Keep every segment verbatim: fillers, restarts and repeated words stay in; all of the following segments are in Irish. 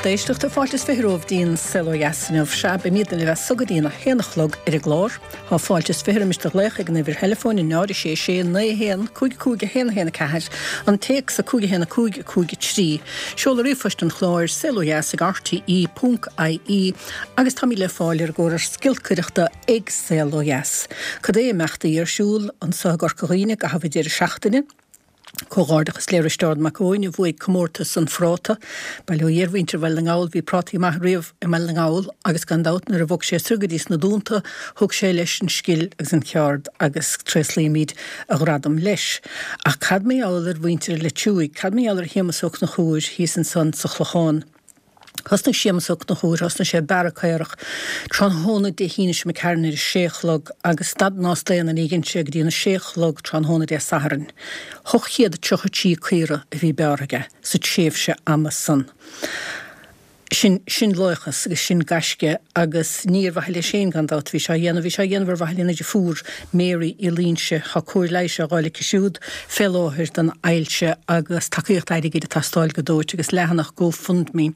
Lucht éisteachta fáilte is fiche romhaibh dtí'n Saol Ó Dheas inniu. Sea, beimidne libh as so go dtí'n a haon a chlog ar an gclár. Tá fáilte is fiche roimis do ghlaoch ag an uimhir theileafóin a náid a sé sé naoi a haon cúig cúig a haon a haon a ceathair, an téacs a cúig a haon a cúig a cúig a trí. Seoladh ríomhphoist an chláir, saolodheas ag rte ponc ie agus táimid le fáil ar an gcóras giolcaireachta ag Saol Ó Dheas. Cad é imeachtaí ar siúl anso i gCorca Dhuibhne i gcaitheamh an deireadh seachtaine? Comhghairdeachas le Risteárd Mac Eoin a bhuaigh comórtas an phráta. Bail ó Dhia ar mhuintir Bhaile na nGall, bhí prátaí maith riamh i mBaile na nGall agus gan dabht nuair a bhog sé soir go dtí sna Dúnta thug sé leis an scil agus an cheard agus tréaslaímid a ghradam leis. Ach cad mar gheall ar mhuintir Leitriúigh, cad mar gheall ar Shéamus Ó Conchúir thíos ansan sa Chlochán? Thosnaigh Séamus Ó Conchúir, thosnaigh sé ag bearradh caorach tráthnóna Dé hAoine seo imigh tharainn ar a sé a chlog agus stad ná staon ní dhein sé go dtí an a sé a chlog tráthnóna Dé Sathairn. Ocht chéad tríocha trí caora a bhí bearrtha aige sa tréimhse ama san. Sin, sin laochas agus sin gaisce agus ní ar mhaithe leis féin gan dabht a bhí sé á dhéanamh, bhí sé á dhéanamh ar mhaithe lena deirfiúr, Mary Uí Loingsigh. Tá cóir leighis á fháil aici siúd fé láthair don ailse agus tacaíocht airgid ag teastáil go dóite agus leathanach GoFundMe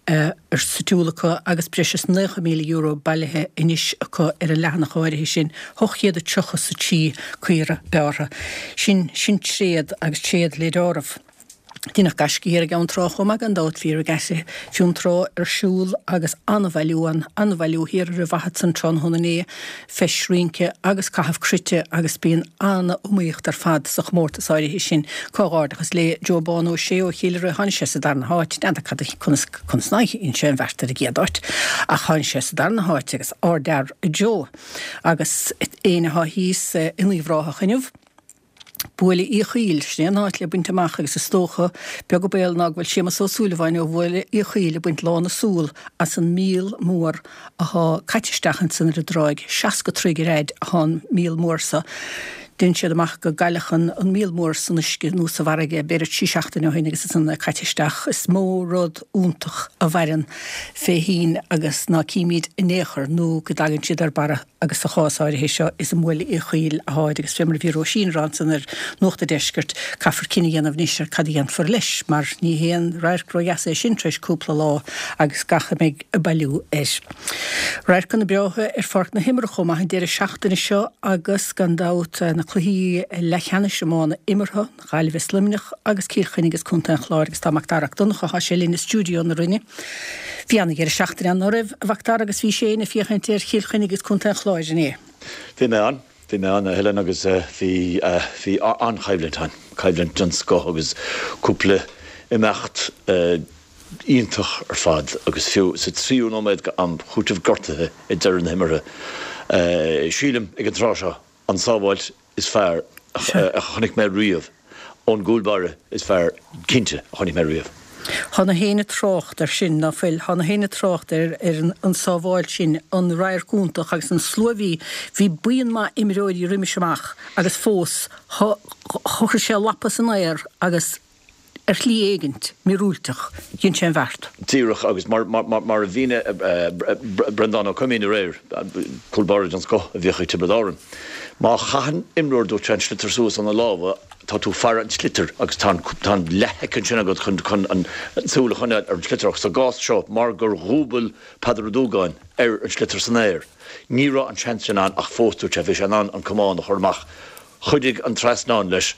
ar siúl acu agus breis is naocha míle euro bailithe anois acu ar an leathanach áirithe sin, ocht chéad a tríocha is a trí caora bearrtha. Sin, sin tréad agus tréad le deáramh. Deineadh gaisce thiar i gCeann Trá chomh maith gan dabht, bhí Regatta Fionntrá ar siúl agus an-bhailiú ann, an-bhailiú thiar ar an bhFathad san tráthnóna inné, feis rince agus caitheamh cruite agus bíonn an-iomaíocht ar fad sa chomórtas áirithe sin. Comhghairdeachas le Joe Bán Ó Sé ó Chill Ire, tháinig sé sa darna háit, n'fheadar cad a, conas, conas nár dhein sé an bheart ar an gcéad áit ach tháinig sé sa darna háit agus ardfhear Joe. Agus éinne atá thíos in Uíbh Ráthach inniu. Buaile Uí Chaoil, sin é an áit le baint amach agus is dócha, beag an baol ná go bhfuil Séamus Ó Súilleabháin ó Bhuaile Uí Chaoil ag baint lán a súl as an míol mór athá caite isteach ansan ar an dtráigh. Seasca troigh ar fhaid athá an míol mór so. Dhein siad amach go gcailleadh an an míol mór san uisce nó sa bhfarraige b'fhéidir trí seachtaine ó shin agus ansan é caite isteach. Is mó rud iontach a mhaireann fé thoinn agus ná címid in aon chor nó go dtagann siad ar barra. agus sa chás áirithe seo is i mBuaile Uí Chaoil atháid agus fé mar a bhí Róisín ag rá ansan ar Nuacht a' Deiscirt, caithfear cinneadh a dhéanamh anois ar cad a dhéanfar leis, mar ní haon radharc ródheas é sin tar éis cúpla lá agus gach a mbeidh ag bailiú air. Radharcanna breátha ar pháirc na himeartha chomh maith an deireadh seachtaine seo agus gan dabht na cluichí leathcheannais iomána imeartha, Gaillimh is Luimneach agus Cill Chainnigh is Contae an Chláir agus tá Mac Dara 'Ac Donncha, thá sé linn i stiúideo na Rinne. Bhí ana-dheireadh seachtaine ann, ná raibh, a Mhac Dara, agus bhís féin ag féachaint ar Chill Chainnigh agus Contae an Chláir inné? Bhí mé ann, bhí mé ann, a Helen, agus bhí, bhí an-choimhlint ann, coimhlint den scoth agus cúpla imeacht iontach ar fad agus fiú sa tríú nóiméad d'am chúitimh gortaithe ag deireadh na himeartha, sílim, ag an tráth seo, an sábháilt is fearr a chonaic mé riamh, ón gcúl báire is fearr, cinnte, a chonaic mé riamh. Thá na héinne ag trácht air sin, ná fuil? Thá na héinne ag trácht ar an sábháilt sin, an radharc iontach agus an slua a bhí. Bhí buíon maith imreoirí roimis amach agus fós chuir sé a lapa san aer agus ar shlí éigint, míorúilteach, dhein sé an bheart. Díreach, agus mar a mhínigh Breandán Ó Coimín aréir, cúl báire den scoth a bhíodh ag Tiobraid Árann, má chaitheann imreoir, dúirt sé, an sliotar suas óna lámha, tá tú ag faire an tsliotair agus tá an leathshoicind sin agat chun an tsúil a choinneáil ar an sliotar. Ach sa gcás seo, mar gur dhúbail Peadar Ó Dúgáin ar an sliotar san aer, ní raibh an seans sin ann ach fós, dúirt sé, bhí sé in ann an camán a chur amach. Chuidigh an trasnán leis.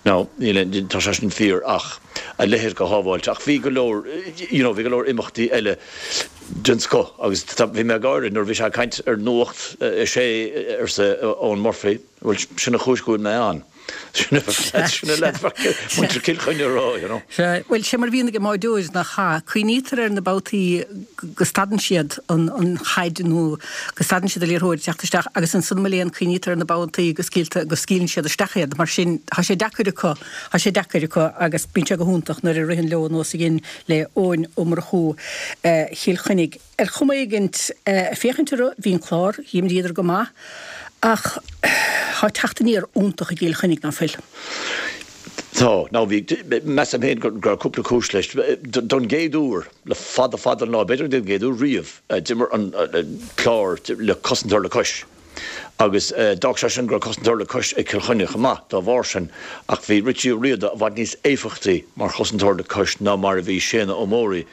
Now, níl aon, tá sé sin fíor ach a leithéid de shábháilt. Ach bhí go leor, you know, bhí go leor imeachtaí eile den scoth agus tá, bhí mé ag gáire nuair a bhí sé ag caint ar Nuacht a Sé, arsa Eoin Murphy, bhuel, sin an chúis go bhfuil mé ann. Sin a, sin a leaid, muintir Chill Chainnigh a rá, you know. Sea, bhuel, sé mar a bhíonn ag an mbáireoir nach ea? Cuimhnítear ar na babhtaí go stadann siad an, an chaid nó go stadann siad an liathróid ag teacht isteach agus ansan mo léan cuimhnítear ar na babhtaí go scaoiltear, go scaoileann siad isteach iad. Mar sin, tá sé deacair acu, tá sé deacair acu agus bíonn sé go hiontach nuair a ritheann leo nós a dhein le Eoin Ó Murchú Chill Chainnigh. Ar chuma éigint, ag féachaint orthu, bhí an Clár, dh'imríodar go maith ach tá teacht aniar iontach i gCill Chainnigh, ná fuil? Tá. Now bhí, measaim féin go raibh cúpla cúis leis. Don gcéad uair le fada fada an lá, b'fhéidir don gcéad uair riamh, d'imir an Clár le cosantóir le cois. Agus d'fhág sé sin go raibh cosantóir le cois ag Cill Chainnigh chomh maith dá bharr sin, ach bhí Richie Ó Riada i bhfad níos éifeachtaí mar chosantóir le cois ná mar a bhí Séanna Ó Móraí.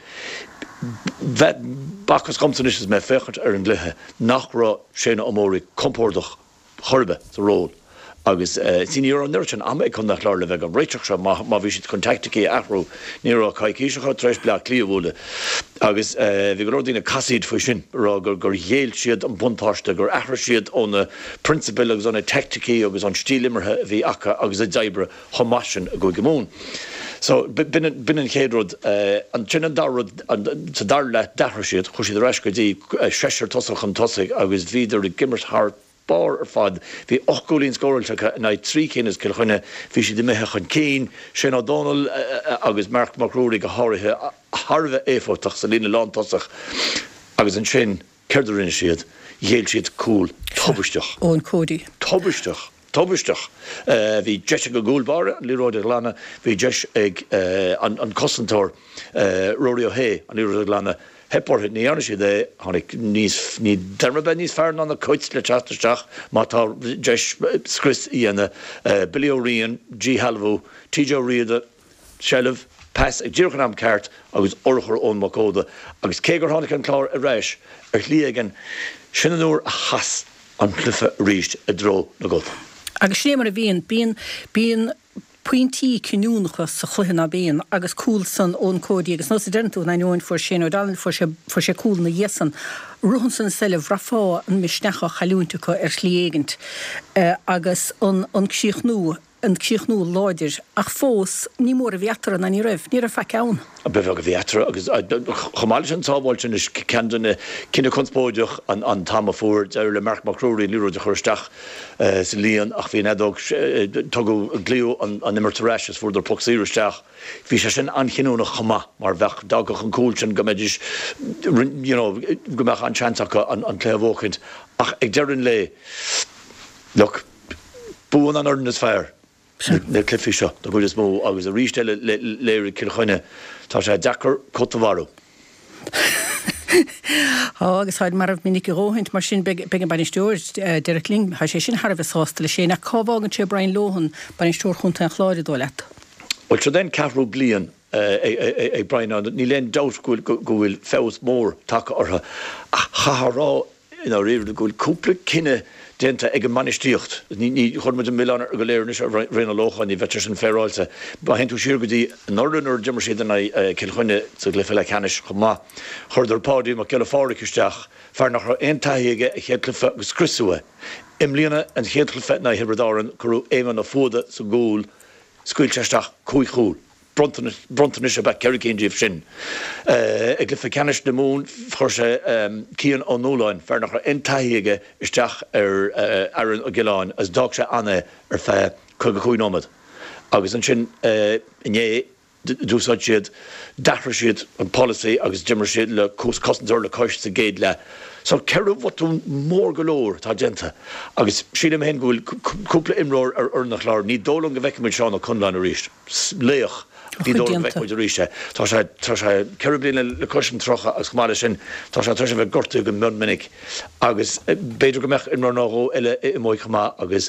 B'fhacthas dhomsa anois is mé ag féachaint ar an gcluiche nach raibh Shane Ó Móraigh compordach chor ar bith sa ról agus see ní raibh an oiread sin ama ag Contae an Chláir le bheith ag réiteach seo má bhí siad chun teaicticí a athrú. Ní raibh coicís acu tar éis Bleá Cliath a bhualadh agus bhí go leor daoine ag casaoid faoi sin, ag rá gur ghéill siad an buntáiste, gur athraigh siad ó na prionsabail agus ó na teaicticí agus ón stíl imeartha a bhí acu agus a d'oibrigh chomh maith sin i gCúige Mumhan. So b'in an chéad rud. Ansin an dara rud, sa dara leath d'athraigh siad, chuaigh siad ar ais go dtí seisear tosach chun tosaigh agus bhíodar ag imirt thar barr ar fad. Bhí ocht gcúilín scóráilte acu in aghaidh trí cinn as Cill Chainnigh. Bhí siad imithe chun cinn, Shane Ó Dónaill agus Marc Mac Ruairí go háirithe, thar a bheith éifeachtach sa líne lántosach agus ansin céard a rinne siad? Ghéill siad cúl tubaisteach. Eoin Cody. Tubaisteach. Tubaisteach. Bhí deis ag an gcúl báire an liathróid a ghlanadh, bhí deis ag an cosantóir Rory O'Hea an liathróid a ghlanadh. Theip orthu, ní dhearna siad é. Tháinig níos, ní déarfainn beidh níos fearr ná na Cait le teacht isteach má tá deis scrios a dhéanamh. Billy Ó Riain, díshealbhú, TJ Ó Riada, seilbh, pas ag díreach an am ceart agus urchar Eoin Mac Óda. Agus cé gur tháinig an Clár ar ais ar shlí éigin, sin an uair a chas an cluiche arís i dtreo na gCat. Agus sin é mar a bhíonn. Bíonn, bíonn pointí cinniúnacha sa chluiche ná bíonn agus cúl san Eoin Cody agus nós a deireann tú in ainneoin fuair Shane O'Donnell, fuair sé, fuair sé cúl ina dhiaidh san. Rith ansan is eile bhraithfeá an misneach á chailliúint acu ar shlí éigint agus an, an críochnú. an críochnú láidir, ach fós ní mór a bhí eatarthu ná ní raibh, ní raibh faic ann. Ba bheag a bhí eatarthu agus chomh maith leis an tsábháil sin is ceann de na cinneadh conspóideach an t-am a fuair deireadh le Marc Mac Ruairí an liathróid a chur isteach sa líon ach bhí an fheadóg, tugadh, glaodh an imirt ar ais is fuaireadar poc saor isteach. Bhí sé sin an-chinniúnach chomh maith mar bheadh, d'fhágfadh an cúl sin go mbeidís, you know, go mbeadh an-seans acu an cluiche a bhuachaint ach ag deireadh an lae, look, buann an fhoireann is fearr na cluichí seo den gcuid is mó agus arís eile léirigh Cill Chainnigh tá sé deacair cat a mharú. Tá agus táid marbh minic a dhóthaint, mar sin beidh an bainisteoir, Derek Lyng, tá sé sin thar a bheith sásta leis féin. Ach cá bhfágann sé Brian Lohan, bainisteoir chontae an Chláir, an dóigh leat? Bhuel, seo é an ceathrú bliain ag Brian ann. Níl aon dabht go bhfuil feabhas mór tagtha orthu ach chaithfeá a rá i ndáiríre go bhfuil cúpla cinneadh déanta ag an mbainistíocht. Ní chuirfidh muid an milleán go léir anois ar Bhrian Ó Lócháin, ní bheadh sé sin féaráilte. Má théann tú siar go dtí anuraidh nuair a d'imir siad in aghaidh Cill Chainnigh sa gcluiche leathcheannais chomh maith, chuireadar Páidí Mac Giolla Phádraig isteach, fear nach raibh aon taithí aige, a chéad chluiche agus scriosadh é. I mbliana, an chéad chluiche in aghaidh Thiobraid Árann, cuireadh Éamonn Ó Fuada sa gcúl, scaoil sé isteach cúig chúl. Bronntanais ab ea ceithre cinn díobh sin. I gcluiche ceannais na Mumhan chuir sé Cian Ó Nualláin, fear nach raibh aon taithí aige, isteach ar Aaron Ó Giolláin agus d'fhág sé ann é ar feadh caoga cúig nóiméad. Agus ansin inné d'úsáid siad, d'athraigh siad an polasaí agus d'imir siad le cosantóir le cois sa gcéad leath. So ceithre bhotún mór go leor atá déanta agus sílim féin go bhfuil cúpla imreoir ar fhoireann an Chláir, ní dóigh liom go bhfeicfidh muid Seán Ó Conláin arís. Laoch. Ní dóigh liom go bhfeicfidh muid arís é. Tá sé, tá sé ceithre bliana le cois an tríocha agus chomh maith leis sin tá sé tar éis a bheith gortaithe go mion minic agus b'fhéidir go mbeadh imreoir nó dhó eile imithe chomh maith agus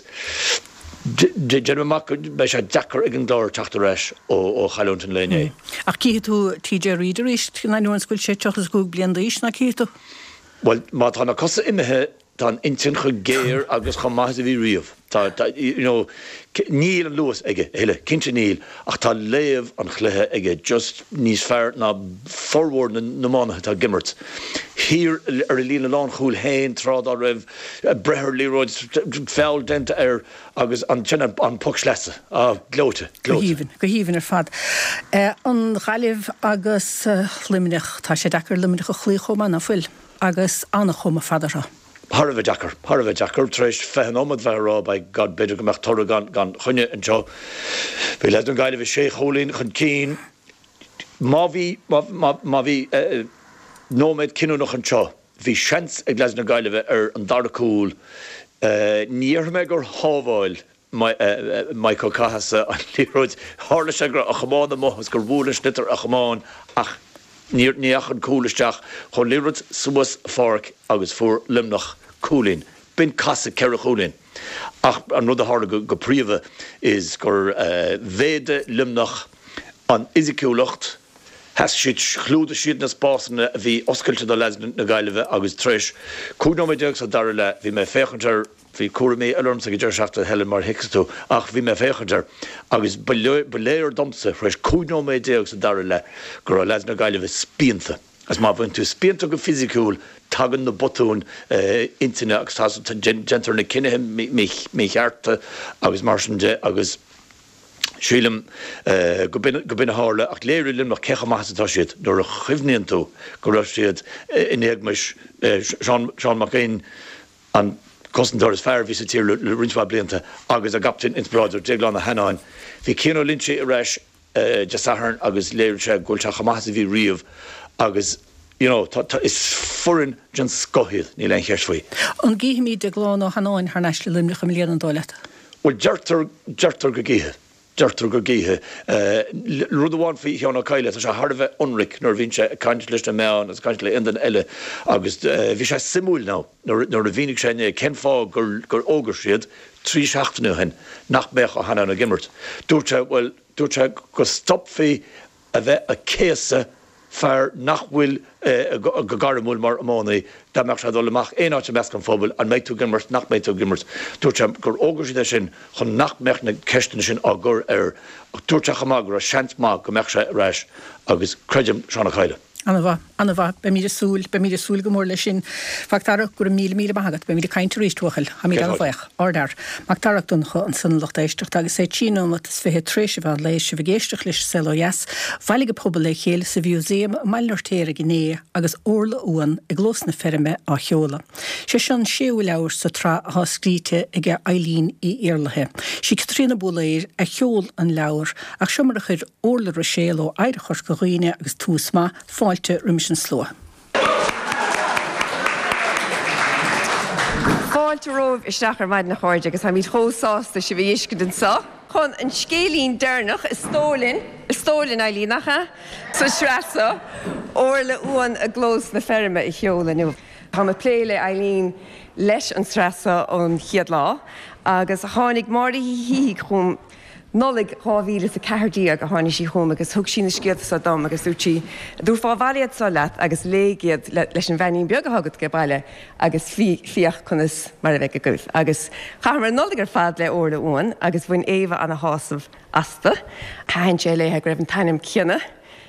déanaim amach go mbeidh sé deacair ag an gClár teacht ar ais ó chailliúint an lae inné. Ach cífidh tú TJ Reid arís in ainneoin is go bhfuil sé tríocha is a cúig bliain d'aois, ná cífidh tú? Bhuel, má tá na cosa imithe, tá an intinn chomh géar agus chomh maith is a bhí riamh. Tá, tá, you know, níl an luas aige a thuilleadh, cinnte níl, ach tá léamh an chluiche aige just níos fearr ná formhór na n-iománaithe atá ag imirt. Thiar ar a líne lánchúil féin tráth dá raibh, breith ar liathróid, feall déanta air agus ansin an poc sleasa. Ah, gleoite, Go gleoite. haoibhinn, go haoibhinn ar fad. An Ghaillimh agus Luimneach, tá sé deacair Luimneach a chloí chomh maith, ná fuil? Agus an-chuma fada orthu. Thar a bheith deacair, thar a bheith deacair. Tar éis fiche nóiméad bheith ag rá, by God, b'fhéidir go mbeadh toradh gan, gan choinne anseo. Bhí leaids na Gaillimhe sé chúilín chun cinn. Má bhí, má, má, má bhí nóiméad cinniúnach anseo, bhí seans ag leaids na Gaillimhe ar an dara cúl. Ní dhéarfaidh mé gur shábháil Mike Ó Cathasaigh an liathróid. Tharla sé go raibh a chamán amuigh agus gur bhuail an sliotar a chamán ach ní dheachaigh an cúl isteach. Chuaigh an liathróid suas an pháirc agus fuair Luimneach cúilín. B'in casadh ceithre chúilín. Ach an rud a tharla go príomha is gur mhéadaigh Luimneach an fhisiciúlacht, Sheas siad, chlúdaigh siad na spásanna a bhí oscailte do leaids na Gaillimhe agus tar éis cúig nóiméad déag sa dara leath, bhí mé ag féachaint air, bhí cúraimí eile ormsa ag an deireadh seachtaine, Helen, mar a thuigfidh tú, ach bhí mé ag féachaint air agus ba léir domsa tar éis cúig nóiméad déag sa dara leath go raibh leaids na Gaillimhe spíonta. Agus má bhíonn tú spíonta go fisiciúil, tagann na botúin intinne agus déantar na cinnithe míchearta agus mar sin de agus. Sílim go b'in a tharla, ach léirigh Luimneach cé chomh maith is atá siad nuair a chuimhníonn tú go raibh siad in éagmais Seán Mac Fhinn, an cosantóir is fearr a bhí sa tír le roinnt mhaith blianta, agus a gcaptaen inspioráideach Déaglán Ó hAnnáin. Bhí Cian Ó Loinsigh ar ais Dé Sathairn agus léirigh sé go bhfuil sé chomh maith is a bhí riamh agus you know tá tá is foireann den scoth iad, níl aon cheist faoi. An gcífimid Déaglán Ó hAnnáin thar n-ais le Luimneach i mbliana, an dóigh leat? Bhuel deirtear deirtear go gcífidh. Deirtear go gcífidh. Rud amháin faoi Sheán Ó Cadhla, tá sé thar a bheith ionraic nuair a bhíonn sé ag caint leis na meáin agus ag caint le aon duine eile agus bhí sé suimiúil now nuair a mhínigh sé inné cén fáth gur fhógair siad trí seachtaine ó shin nach mbeadh Ó hAnnáin ag imirt. Dúirt sé, bhuel, dúirt sé go stopfaí a bheith ag céasadh fear nach bhfuil go gairmiúil mar iománaí, dá mbeadh sé ag dul amach aon áit i measc an phobail, an mbeidh tú ag imirt, nach mbeidh tú ag imirt. Dúirt sé gur fhógair siad é sin chun nach mbeadh na ceisteanna sin á gcur air ach dúirt sé chomh maith go raibh seans maith go mbeadh sé ar ais agus creidim Seán Ó Cadhla. An-mhaith, an-mhaith. Beimid ag súil, beimid ag súil go mór leis sin. Mhac Dara, go raibh míle míle maith agat. Beimid ag caint arís, a bhuachaill. Táimid an-bhuíoch. Ardfhear. Mac Dara Mac Donncha ansan a lucht éisteachta agus é trí nóiméad is fiche tar éis an mheán lae, sibh ag éisteacht leis an Saol Ó Dheas. Bhailigh an pobal le chéile sa Mhúsaem i mBaile an Fheirtéaraigh inné agus Orla Uan i gClós na Feirme á sheoladh. Sé seo an séú leabhar sa tsraith atá scríte ag Eileen Uí Iarlaithe. Sí Caitríona Búlaeir a sheol an leabhar ach seo mar a chuir Orla Ruiséal ó Éire Chorca Dhuibhne agus Tús Maith fáilte roimis an slua. Fáilte romhaibh isteach ar maidin a chairde agus táimid chomh sásta sibh a fheiscint anseo chun an scéilín deireanach is dóigh linn, is dóigh linn Eileen, nach ea? sa tsraith seo, Orla Uan i gClós na Feirme a sheoladh inniu. Táim ag plé le Eileen leis an tsraith seo ón chéad lá agus tháinig Máire Uí Shíthigh chugam Nollaig dhá mhíle is a ceathair déag a tháinig sí chugam agus thug sí na scéalta seo dom agus dúirt sí, 'Dtabharfá abhaile iad seo leat agus léigh iad leis an bheainín beag atá agat age baile agus féach conas mar a bheidh agaibh. Agus chaitheamar an Nollaig ar fad le Orla Uan agus bhain Éabha ana-shásamh astu. Thaitin sé léithe go raibh an t-ainm céanna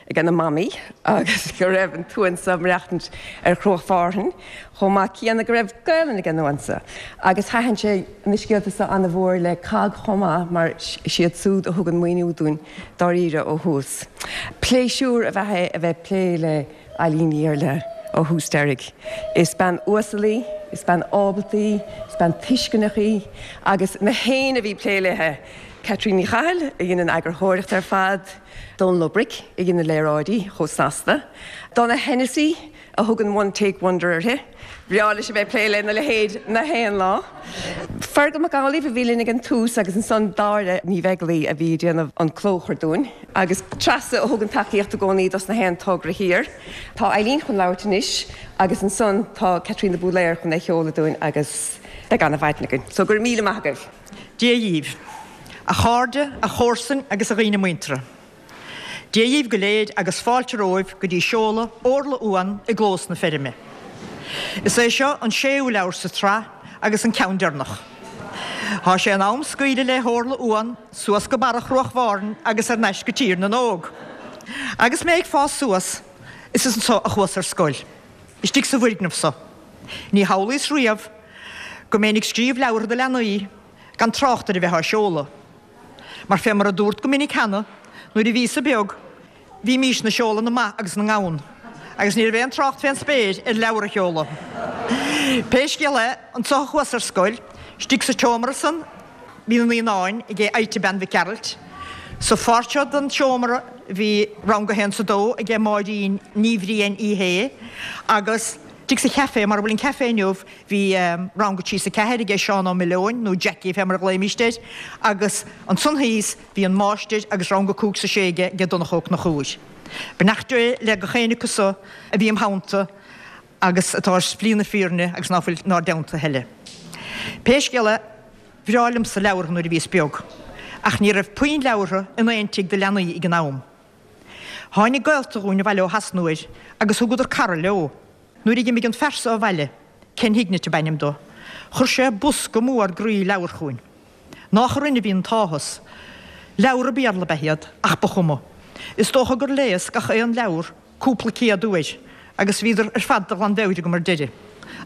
ag an mamaí agus go raibh an t-uan seo ag maireachtaint ar Chruach Mhárthain chomh maith céanna go raibh Gaelainn ag an uan seo. Agus thaitin sé na scéalta seo ana-mhór le COGG chomh maith mar is iad súd a thug an maoiniú dúinn dáiríre ó thús. Pléisiúr ab ea é a bheith ag plé le Eileen Ní Iarlaithe ó thús deiridh. Is bean uasal í, is bean ábalta í, is bean tuisceanach í agus na héinne a bhí ag plé léithe, Caitríona Ní Chathail a dhein an eagarthóireacht ar fad, Dónal Ó Bric a dhein na léaráidí chomh snasta, Donna Hennessy a thug an one take wonder uirthi, bhreá leis a bheith ag plé lena leithéid na haon lá, Fergal Mac Amhlaoibh a bhí linn ag an tús agus ansan Dáire Ní Bheaglaoi a bhí ag déanamh an clóchur dúinn agus Treasa a thugann tacaíocht i gcónaí dos na haon togra thiar. Tá Eileen chun labhairt anois agus ansan tá Caitríona Búlaeir chun é a sheoladh dúinn agus beidh ana-mhaidin againn. So go raibh míle maith agaibh. Dia dhíbh, a chairde, a chomharsain agus a dhaoine muinteartha. Dia dhíbh go léir agus fáilte romhaibh go dtí seoladh Orla Uan i gClós na Feirme. Is é seo an séú leabhar sa tsraith agus an ceann deireanach. Tá sé in am scaoileadh le hOrla Uan suas go barra Chruach Mhárthain agus ar n-ais go Tír na nÓg. Agus mé ag fás suas, is anso a chuas ar scoil. Istigh sa bhfoirgneamh so. Ní shamhlaíos riamh go mbeinn ag scríobh leabhartha do leanaí, gan trácht ar a bheith á seoladh. Mar fé mar a dúrt go minic cheana, nuair a bhíos-sa beag, bhímísne ag seoladh na mba agus na ngamhan, agus ní raibh aon trácht fén spéir ar leabhar a sheoladh. Pé scéal é, anso a chuas ar scoil, istigh sa tseomra san, bhí na naíonáin aige Ita Bean Mhic Gearailt. Sa pháirt seo den tseomra bhí rang a haon 's a dó aige Máirín Ní Bhriain Uí Shé agus istigh sa chaife, mar a bhfuil an caife inniu, bhí rang a trí 's a ceathair aige Seán Ó Mileoin, nó Jackie fé mar a ghlaoimíst air, agus ansan thíos bhí an máistir agus rang a cúig 's a sé aige aige Donncha Ó Conchúir. Beannacht Dé le gach éinne acu so a bhí im theannta agus atá ar shlí na fírinne agus ná fuil 'nár dteannta a thuilleadh. Pé scéal é, bhreá liomsa leabhartha nuair a bhíos beag, ach ní raibh puinn leabhartha in aon tigh do leanaí ag an am. Tháinig gaolta dhúinn abhaile ó Shasana uair agus thugadar cara leo. Nuair a d'imigh an fear so abhaile, Ken Hignett ab ainm dó, chuir sé bosca mór groí leabhar chugainn. Nách orainn a bhí an t-áthas. Leabhra Béarla ab ea iad, ach ba chuma. Is dócha gur léas gach aon leabhar cúpla céad uair agus bhíodar ar fad de ghlanmheabhair agam ar deireadh.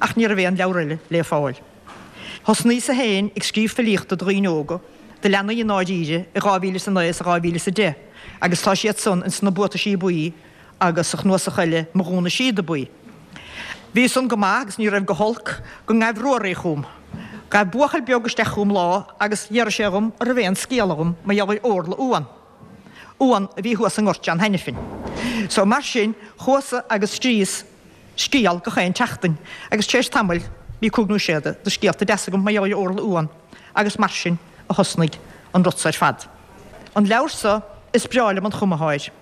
Ach ní raibh aon leabhar eile le fáil. Thosnaíos-sa féin ag scríobh filíochta do dhaoine óga, do leanaí i ndáiríre, i dhá mhíle is a naoi is i dhá mhíle is a deich agus tá siad san ins na Buataisí Buí agus sa chnuasach eile Mo Ghúna Síoda Buí. Bhí san go maith agus ní raibh go holc go ngabh Ruairí chugam. Ghabh buachaill beag isteach chugam lá agus d'iarr sé dhom an raibh aon scéal agam mar gheall ar Orla Uan. Uan a bhí thuas i nGort John Hanafin. So mar sin chuas-sa agus scríos scéal gach aon tseachtain agus tar éis tamaill bhí cúig nó sé de scéalta deasa agam mar gheall ar Orla Uan agus mar sin a thosnaigh an rud so ar fad. An leabhar so, is breá liom an chuma athá air.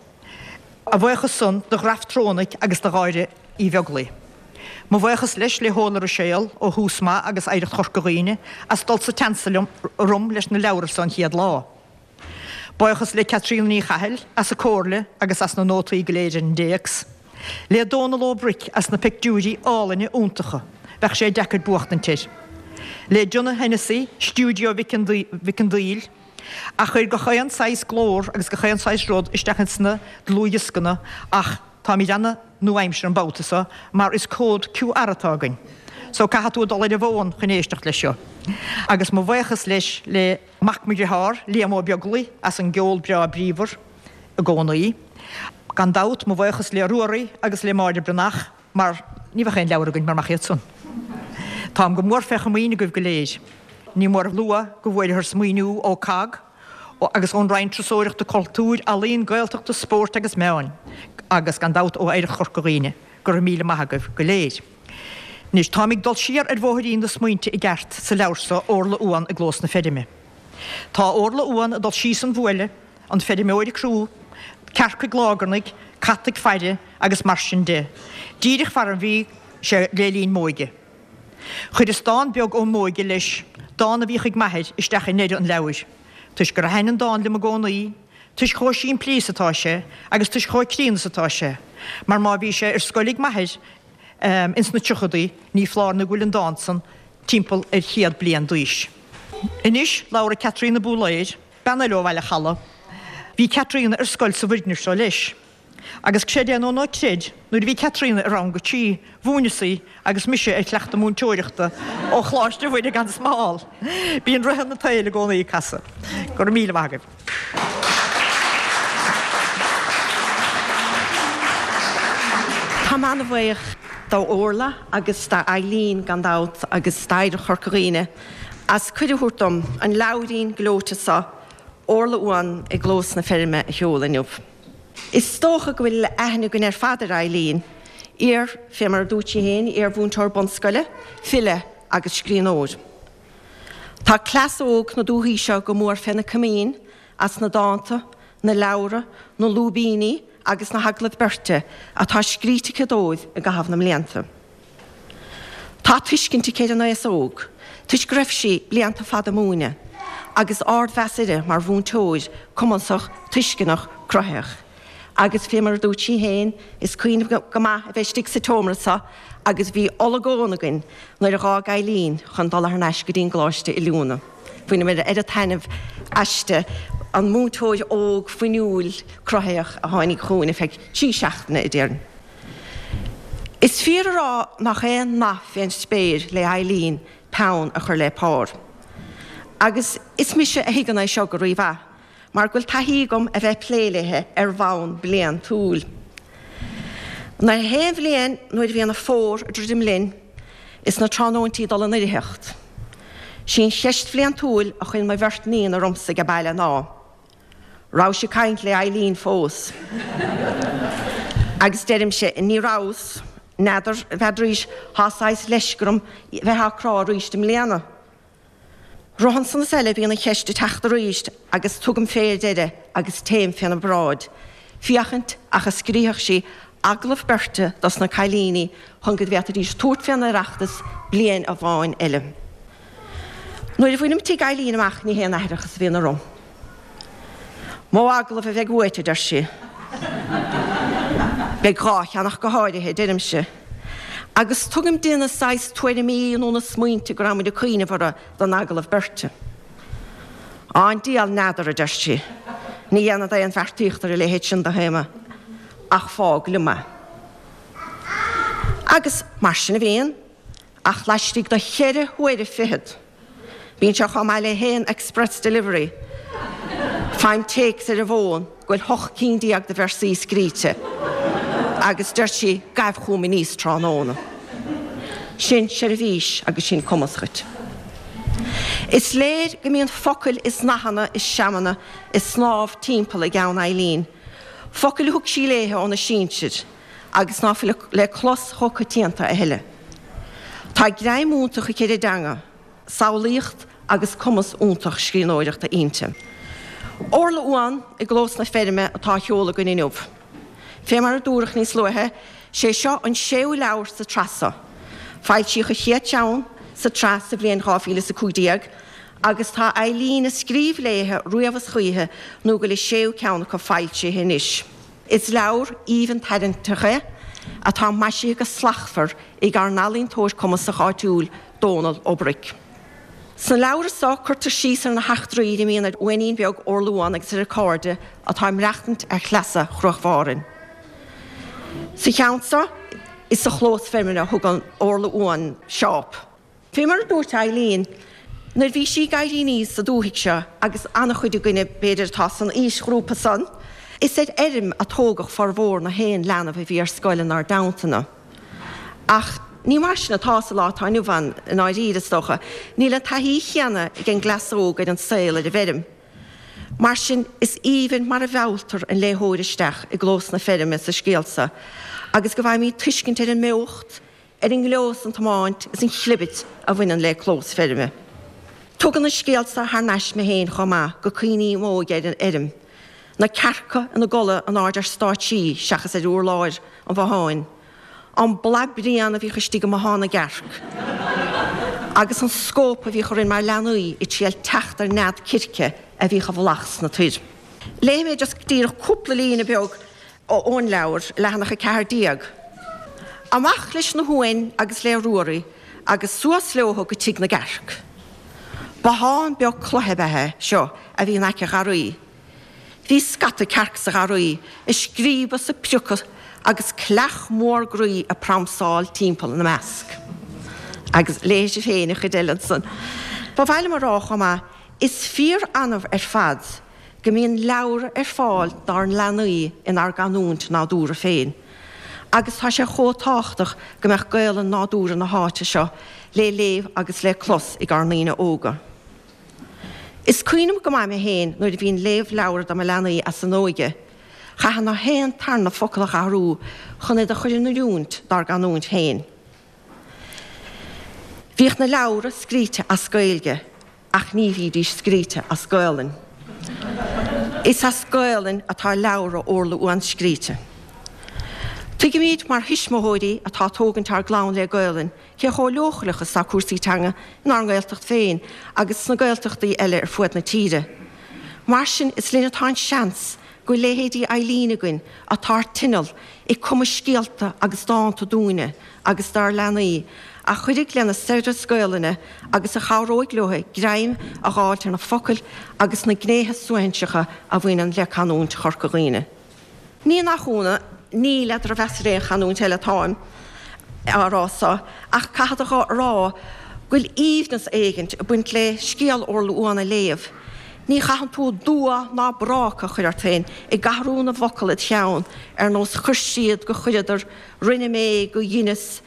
A bhuíochas san do Ghraftronic agus do Dháire Uí Bheaglaoi. Mo bhuíochas leis le hOla Ruiséal ó Thús Maith agus Oidhreacht Chorca Dhuibhne as dul sa tseans liom orm leis na leabhra so an chéad lá. Buíochas le Caitríona Ní Chathail as a comhairle agus as na nótaí go léir ar an dtéacs. Le Dónal Ó Bric as na pictiúirí álainne iontacha, bheadh sé deacair buachtaint air. Le Donagh Hennessy, Stiúideo Mhic an Daill, a chuir gach aon saghas glór agus gach aon saghas rud isteach ins na dlúthdhioscanna ach táimid ana-nua-aimseartha an babhta seo mar is cód Q R atá againn so caithfidh tú a dul ar an bhfón chun éisteacht leis seo. Agus mo bhuíochas leis le mac mo dhearthár, Liam Ó Beaglaoi, as an gceol breá bríomhar i gcónaí. Gan dabht, mo bhuíochas le Ruairí agus le Máire Breathnach mar ní bheadh aon leabhar againn mura mbeadh iad san. Táim go mór fé chomaoin agaibh go léir. Ní mór a lua go bhfuaireathas maoiniú ó cogg agus ón Roinn Turasóireachta, Cultúir, Ealaíon, Gaeltachta, Spóirt agus Meáin agus, gan dabht, ó Oidhreacht Chorca Dhuibhne. Go raibh míle maith agaibh go léir. Anois, táim ag dul siar ar bhóithrín na smaointe i gceart sa leabhar seo, Orla Uan i gClós na Feirme. Tá Orla Uan ag dul síos an bhuaile, an feirmeoir ag crú, cearc ag lágarnaigh, cat ag faire agus mar sin de, díreach far a bhí sé le linn m'óige. Chuireas dán beag ó m'óige leis, dán a bhíodh ag m'athair, isteach i ndeireadh an leabhair, toisc gur thaithin an dán liom i gcónaí, toisc chomh simplí is atá sé agus toisc chomh críonna is atá sé, mar má bhí sé ar scoil ag m'athair ins na tríochadaí, ní foláir nó go bhfuil an dán san timpeall ar chéad bliain d'aois. Anois, labharfaidh Caitríona Búlaeir, bean eile ó Bhaile Chalaidh. Bhí Caitríona ar scoil sa bhfoirgneamh seo leis. Agus creid é nó ná creid, nuair a bhí Caitríona i rang a trí, mhúineas í agus mise ar chleachtadh múinteoireachta ó Choláiste Mhuire gan Smál. Bíonn rotha an tsaoil i gcónaí ag casadh. Go raibh míle maith agaibh. Táim an-bhuíoch d'Orla agus d'Eileen gan dabht agus d'Oidhreacht Chorca Dhuibhne as cuireadh a thabhairt dom an leabhairín gleoite seo, Orla Uan i gClós na Feirme, a sheoladh inniu. Is dócha go bhfuil aithne againn ar fad ar Eileen, iar, fé mar a dúirt sí féin, iar-mhúinteoir bunscoile, file agus scríbhneoir. Tá cleas óg na dúthaí seo go mór féna comaoin as na dánta, na leabhra, na lúibíní agus na hagallaimh beirte atá scríte aici dóibh i gcaitheamh na mblianta. Tá tuiscint aici ar an aos óg, toisc go raibh sí blianta fada ag múineadh, agus ardmheas uirthi mar mhúinteoir cumasach, tuisceanach, cruthaitheach. Agus fé mar a dúirt sí féin, is cuimhin go maith a bheith istigh sa tseomra seo agus bhí olagón againn nuair a dh'fhág Eileen chun dul thar n-ais go dtí an gcoláiste oiliúna. Bhaineamar oiread taitneamh aisti, an múinteoir óg fuinniúil cruthaitheach a tháinig chugainn ar feadh trí seachtaine, a déarfainn. Is fíor a rá nach aon nath fén spéir le Eileen peann a chur le pár. Agus is mise a thuigeann é seo go rímhaith, mar go bhfuil taithí agam a bheith ag plé léithe ar bhonn bliantúil. Na haon bhliain nuair a bhíonn an fómhar ag druidim linn is na tráthnóintí ag dul in oirtheacht, sí an cheist bhliantúil a chuireann mo bheirt níon ormsa age baile ná, Rabhais ag caint le Eileen fós? Agus deirimse, Ní rabhas, n'fheadar, n'fheadraís, thá saghas leisce orm bheith á crá aríst i mbliana. Rothann san is eile bhíonn an cheist ag teacht aríst agus tugaim fé ar deireadh agus téim féna bráid, féachaint ach a scríobhadh sí agallamh beirte dos na cailíní chun go bhféadfaidís tabhairt fén Oireachtas bliain amháin eile. Nuair a bhainim tigh Eileen amach ní haon aithreachas a bhíonn orm. Mó agallamh a bheidh uait, a deir sí. Beidh dhá cheannach go háirithe, deirimse. Agus tugaim di na saghas tuairimí nó na smaointe go raibh muid ag cuimhneamh orthu don agallamh beirte. Á an diabhal n'fheadar, a deir sí. Ní dhéanfad aon bheartaíocht ar a leithéid sin de théama, ach fág liom é. Agus mar sin a bhíonn, ach laistigh de cheithre huaire fichead. Bíonn sé chomh maith le haon express delivery. Faighim téacs ar an bhfón go bhfuil hocht cinn déag de véarsaí scríte agus deir sí gabh chugam aníos tráthnóna. Sin seirbhís agus sin cumas dhuit. Is léir go mbíonn focail is nathanna is seamanna ag snámh timpeall i gceann Eileen, focail a thug sí léithe óna sinsir agus ná fuil le clos chomh coitianta a thuilleadh. Tá greim iontach aici ar an dteanga, samhlaíocht agus cumas iontach scríbhneoireachta inti. Orla Uan i gclós na feirme atá á sheoladh againn inniu. Fé mar a dúradh níos luaithe, sé seo an séú leabhar sa tsraith seo. Foilsíodh an chéad cheann sa tsraith sa bhliain dhá mhíle is a cúig déag agus tá Eileen ag scríobh léithe riamh is choíche nó go bhfuil an séú ceann acu foilsithe anois. Is leabhar aoibhinn tarraingteach é atá maisithe go slachtmhar ag ár n-ealaíontóir cumasach áitiúil, Dónal Ó Bruic. Sna leabhra seo cuirtear síos ar na heachtraí a imíonn ar uainín beag Orla Uan agus ar a cairde atá ag maireachtaint ar shleasa Chruach Mhàrain. Sa cheann seo is sa chlós feirme a thugann Orla Uan seáp. Fé mar a dúirt Eileen nuair bhí sí ag éirí aníos sa dúthaigh seo agus an-chuid againne b'fhéidir atá san aoisghrúpa san, is ar fheirm a tógadh formhór na haon leanbh a bhí ar scoil inár dteannta-na. Ach ní mar sin atá sa lá atá inniu ann i ndáiríre, is dócha. Níl an taithí chéanna ag an gcleas óg ar an saol ar an bhfeirm. Mar sin, is aoibhinn mar a mhealltar an léitheoir isteach i gclós na feirme sa scéal seo agus go bhfaighimid tuiscint ar an mbeocht, ar an ngleo is an tiomáint is an chlibit a bhaineann le clós feirme. Tugann an scéal seo thar n-ais mé féin chomh maith go cuimhní m'óige ar an fheirm, na cearca ina gcodladh in airde ar stáitsí seachas ar urláir an bhotháin, an boladh bréan a bhíodh istigh i mbothán na gcearc, agus an scóp a bhíodh orainn mar leanaí ag triail teacht ar nead circe a bhíodh i bhfolach sna toir. Léifidh mé just díreach cúpla líne beag ón leabhar, leathanach a ceathair déag. Amach leis na huain agus le Ruairí agus suas leothu go tigh na gcearc. Bothán beag cloiche ab ea é seo a bhí in aice an gharraí. Bhí scata cearc sa gharraí, ag scríobadh is ag priocadh agus cleach mór groí ag pramsáil timpeall ina measc. Agus léifidh sibh féin an chuid eile ansan. Ba mhaith liom a rá chomh maith, is fíor-annamh ar fad go mbíonn leabhra ar fáil dár leanaí inár gcanúint nádúrtha féin. Agus tá sé chomh tábhachtach go mbeadh Gaolainn nádúrtha na háite seo le léamh agus le clos ag ár ndaoine óga. Is cuimhin liom go maith mé féin nuair a bhínn léamh leabhra do mo leanaí as an óige, chaithfinn na haon tarna focal a athrú chun iad a chur in oiriúint dár gcanúint féin. Bhíodh na leabhra scríte as Gaeilge ach ní bhídís scríte as Gaolainn. Is as Gaolainn atá leabhra Orla Uan scríte. Tuigimid mar thuismitheoirí atá ag tógaint ár gclann le Gaolainn cé chomh leochaileach is atá cúrsaí teanga inár nGaeltacht féin agus sna Gaeltachtaí eile ar fuaid na tíre. Mar sin, is linn atá an seans go bhfuil leithéidí Eileen againn atá ar tinneall ag cumadh scéalta agus dánta dúinne agus dár leanaí a chuirfidh lena saibhreas Gaolainne agus a chabhróidh leo greim a dh'fháilt ar na focail agus na gnéithe suaithinseacha a bhaineann le canúint Chorca Dhuibhne. Ní nach ionadh, ní le drochmheas ar aon chanúint eile atáim á rá so, ach caithfead a rá go bhfuil aoibhneas éigint ag baint le scéal Orla Uan a léamh. Ní chaitheann tú dua ná bráca a chur ort féin ag athrú na bhfocal id cheann ar nós chuir siad go chuireadar, rinne mé go dheineas.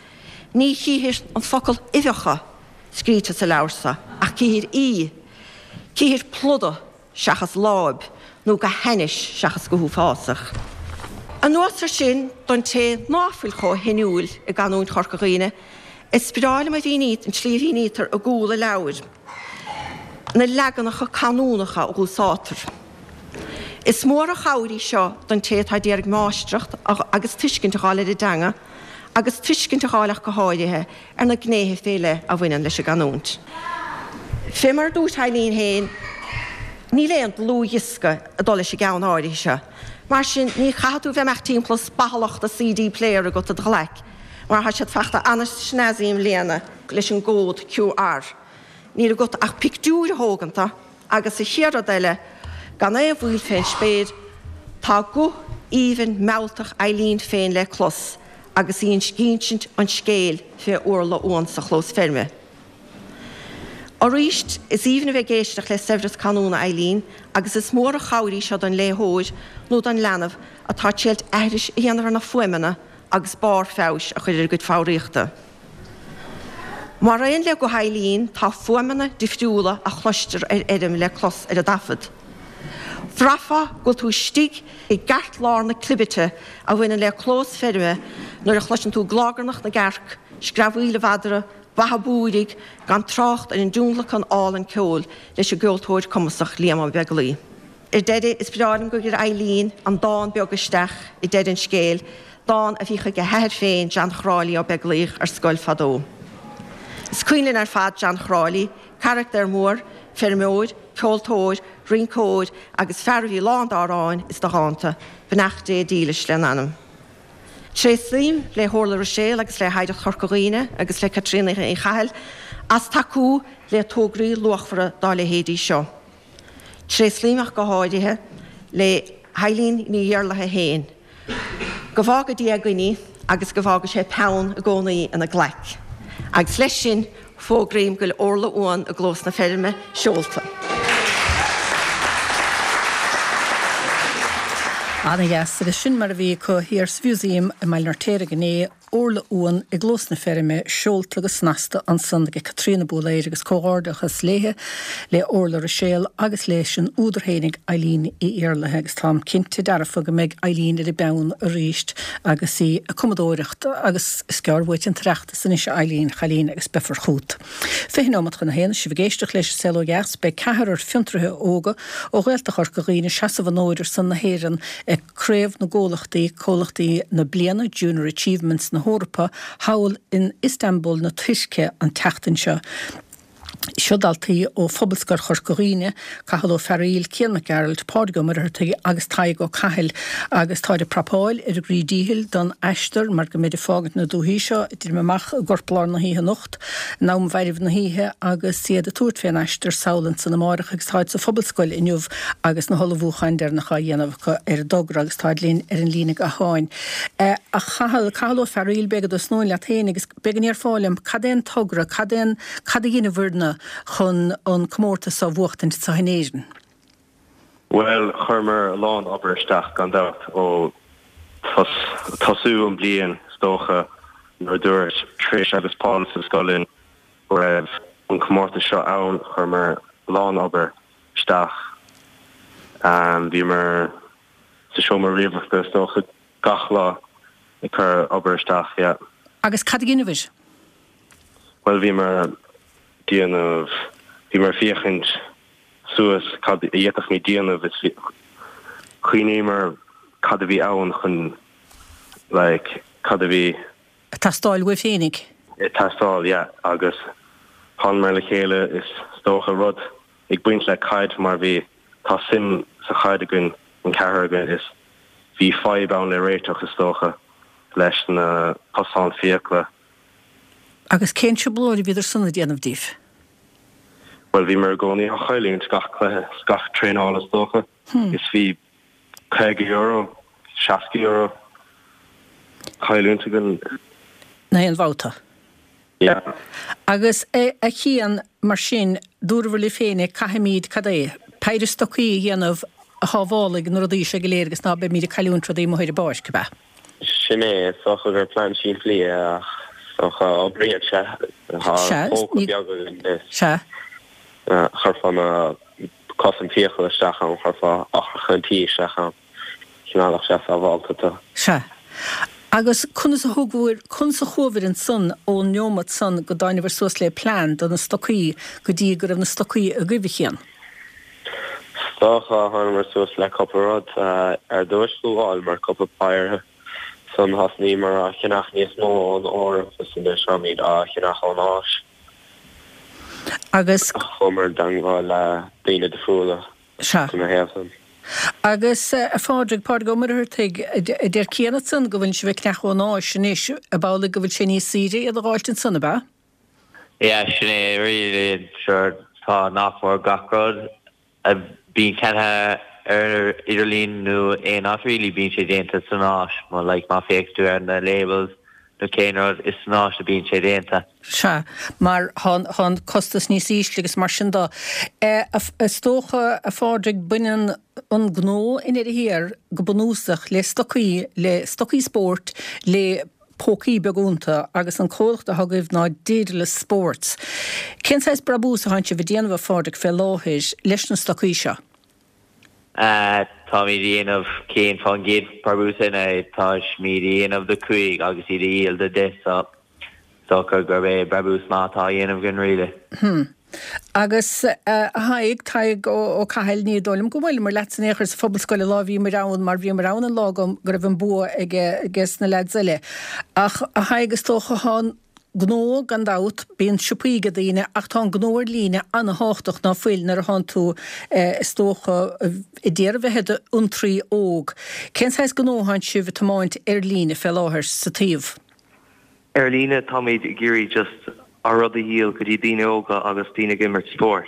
Ní chíthir an focal uibheacha scríte sa leabhar so, ach cíthir í. Cíthir pluda seachas láib, nó go hainnis seachas go huafásach. Anuas air sin, don té ná fuil chomh hinniúil i gcanúint Chorca Dhuibhne, is breá liom a mhíní, an tslí a mhínítear i gcúl an leabhair na leaganacha canúnacha a úsáidtear. Is mór an chabhair í seo don té atá d'iarraidh máistreacht agus tuiscint a dh'fháil ar an dteanga, agus tuiscint a dh'fháil ach go háirithe ar na gnéithe fé leith a bhaineann leis an gcanúint. Fé mar a dúirt Eileen féin, níl aon dlúthdhiosca ag dul leis an gceann áirithe seo, Mar sin ní chaithfidh tú bheith amach timpeall ag spathallacht do C D player agat i do ghlaic, mar tá siad fachta an-snazzy i mbliana leis an gcód Q R. Níl agat ach pictiúr a thóganta agus sa chéad rud eile, gan aon mhoill fén spéir, tá guth aoibhinn mealltach Eileen féin le clos agus í ag insint an scéil fé Orla Uan sa chlós feirme. Arís, is aoibhinn a bheith ag éisteacht le saibhreas canúna Eileen agus is mór an chabhair í seo don léitheoir nó don leanbh atá ag triail aithris a dhéanamh ar na fuaimeanna agus barr feabhais a chur ar a gcuid foghraíochta. Mar aon le guth Eileen, tá fuaimeanna difriúla a chloistear ar fheirm le clos ar an dtaifead. Bhraithfeá go bhfuil tú istigh i gceartlár na clibirte a bhaineann le clós feirme nuair a chloiseann tú glágarnach na gcearc, screamhaíl an mhadra, beatha búirigh, gan trácht ar an dtionlacan álainn ceoil leis an gceoltóir cumasach Liam Ó Beaglaoi. Ar deireadh, is breá liom gur chuir Eileen an dán beag isteach i deireadh an scéil, dán a bhíodh ag a hathair féin, John Chráilí Ó Beaglaoich, ar scoil fadó. Is cuimhin linn ar fad John Chráilí, carachtar mór, feirmeoir, ceoltóir, rinceoir agus fear a bhí lán d'amhráin is de dhánta, beannacht Dé dílis lena anam. Tréaslaím le hOrla Ruiséal agus le hOidhreacht Chorca Dhuibhne agus le Caitríona Uí Chathail as tacú le tograí luachmhara dá leithéidí seo. Tréaslaím ach go háirithe le hEileen Ní Iarlaithe féin. Go bhfága Dia againn í agus go bhfága sé peann i gcónaí ina glaic. Agus leis sin fógraím go bhfuil Orla Uan i gclós na feirme seolta. Ana-dheas, agus sin mar a bhí acu thiar sa Mhúsaem i mBaile an Fheirtéaraigh inné, Orla Uan i gclós na feirme, seolta go snasta ansan ag Caitríona Búlaeir agus comhghairdeachas léithe, le Orla Ruiséal agus leis an údar fhéinig Eileen Uí Iarlaithe agus táim cinnte dearfa go mbeidh Eileen ar an bpeann arís agus í ag cumadóireacht agus is gearr uait an tOireachtas anois a Eileen, chailín agus beifear chút. Fiche nóimeat chun a haon, sibh ag éisteacht leis an Saol Ó Dheas, beidh ceathrar fiontraithe óga ó Ghaeltacht Chorca Dhuibhne ag seasamh an fhóid ar son na hÉireann ag Craobh na gComhlachtaí, Comhlachtaí na Bliana, Junior Achievements na hEorpa, thall in Istanbul na Tuirce an tseachtain seo. Seo daltaí ó Phobalscoil Chorca Dhuibhne, Cathal Ó Fearaíl, Cian Mac Gearailt, Pádraig Ó Muircheartaigh agus Tadhg Ó Cathail agus táid ag prapáil ar a gcroí díchill don aistear mar go mbeid ag fágaint na dúthaí seo ag druidim amach i gcorplár na hoíche anocht, in am mhairbh na hoíche agus iad ag tabhairt fén aistear sall ansan amárach agus táid sa Phobalscoil inniu agus na hullmhúcháin deireanacha á dhéanamh acu ar an dtogra agus táid linn ar an líne gutháin. A Chathail, Cathal Ó Fearaíl, b'fhéidir go dtosnóinn leat féin agus b'fhéidir go ndéarfá liom cad é an togra, cad é an, cad a dheineabhair-ne chun an comórtas seo a bhuachtaint anseo in Éirinn? Bhuel, chuireamar a lán obair isteach gan dabht ó tosú an bliain is dócha nuair a dúirt Trish agus Paul sa scoil linn go raibh an comórtas seo ann, chuireamar a lán obair isteach. Bhíomar sa seomra ríomhaireachta is dócha gach lá ag cur obair isteach, yeah. Agus cad a dheineabhair? Bhuel, bhíomar déanamh, bhíomar féachaint suas cad a d'fhéadfadh déanamh is chuimhníomar cad a bhí ann chun like cad a bhí. Ag teastáil uaibh féinig? Ag teastáil, yeah, agus thángamar le chéile is dócha rud ag baint le caid mar bhí tá suim sa chaid againn an ceathrar againn is bhí fadhb ann le réiteach is dócha leis na cosáin fiacla. Agus cén trioblóid a bhíodar san ag déanamh daoibh? Bhuel bhíomar i gcónaí á chailliúint gach cluiche is gach traenáil is dócha is bhí caoga euro, seasca euro cailliúint againn. Na haon bhabhta? Yeah. Agus a Chian, mar sin, dúrabhair libh féinig, caithfimid, cad é, péire stocaí a dhéanamh a shábhálfaidh na rudaí seo go léir agus ná beimid ag cailliúint rudaí amuigh ar an bpáirc, ab ea? Sin é, is dócha gur plean simplí é ach is dócha oibríonn sé. Tá Sea, póca ní. beag againn is Sea. chuirfeá na cos an fiacail isteach ann, chuirfeá eochracha an tí isteach ann. Choinneálfadh sé sábhálta tú. Sea. Agus conas a thugabhair, conas a chuabhair ansan ón neomat san go dtáinabhair suas le plean do na stocaí go dtí go raibh na stocaí agaibh, a Chian? Is dócha, thángamar suas le cúpla rud. Ar dtúis ghabhálamar cúpla péire. Ansan thosnaíomar á cheannach níos mó ón Eoraip is anois táimid á cheannach ón Áis. Agus. Chuamar i dteangmháil le daoine difriúla Sea. ina thaobh san. Agus a Phádraig, Pádraig Ó Muircheartaigh, a deir Cian ansan go bhfuil sibh ag ceannach ón Áis anois, ab amhlaidh go bhfuil sé níos saoire iad a dh'fháilt ansan, ab ea? Yeah, sin é really, sure, tá nach mór gach rud a bíonn ceannaithe ar idirlíon nó aon áit really bíonn sé déanta san Áis, má like má féach tú ar na labels nó cén rud is san Áis a bíonn sé déanta. Sea, mar tá an costas níos ísle agus mar sin de. Is dócha, a Phádraig, baineann an gnó i ndeireadh thiar go bunúsach le stocaí, le stocaí spóirt, le pócaí beaga iontu agus an comhlacht atá agaibh ná Daedalus Sports. Cén saghas brabús atánn sibh a déanamh, a Phádraig, fé láthair leis na stocaí seo? Táimid a dhéanamh cén fán gcéad brabús ina táimid a dhéanamh do cúig agus iad a dhíol do deich so dócha gurb é brabús maith atá á dhéanamh againn really. Hmm. Agus a Thaidhg, Tadhg Ó Cathail, ní dóigh liom go bhfuaileamar leatsa in aon chor sa Phobalscoil an lá a bhíomar ann mar bhíomar ann an lá go raibh an bua aige sna leaids eile. Ach a Thaidhg, is dócha thá an gnó gan dabht, bíonn siopaí ag daoine ach tá an gnó ar líne ana-thábhachtach ná fuil nuair a thánn tú is dócha ag iarraidh bheith i d'fhiontraí óg. Cén saghas gnó atánn sibh ag tiomáint ar líne fé láthair sa taobh? Ar líne táimid ag iarraidh just ár rud a dhíol go dtí daoine óga agus daoine ag imirt spóirt.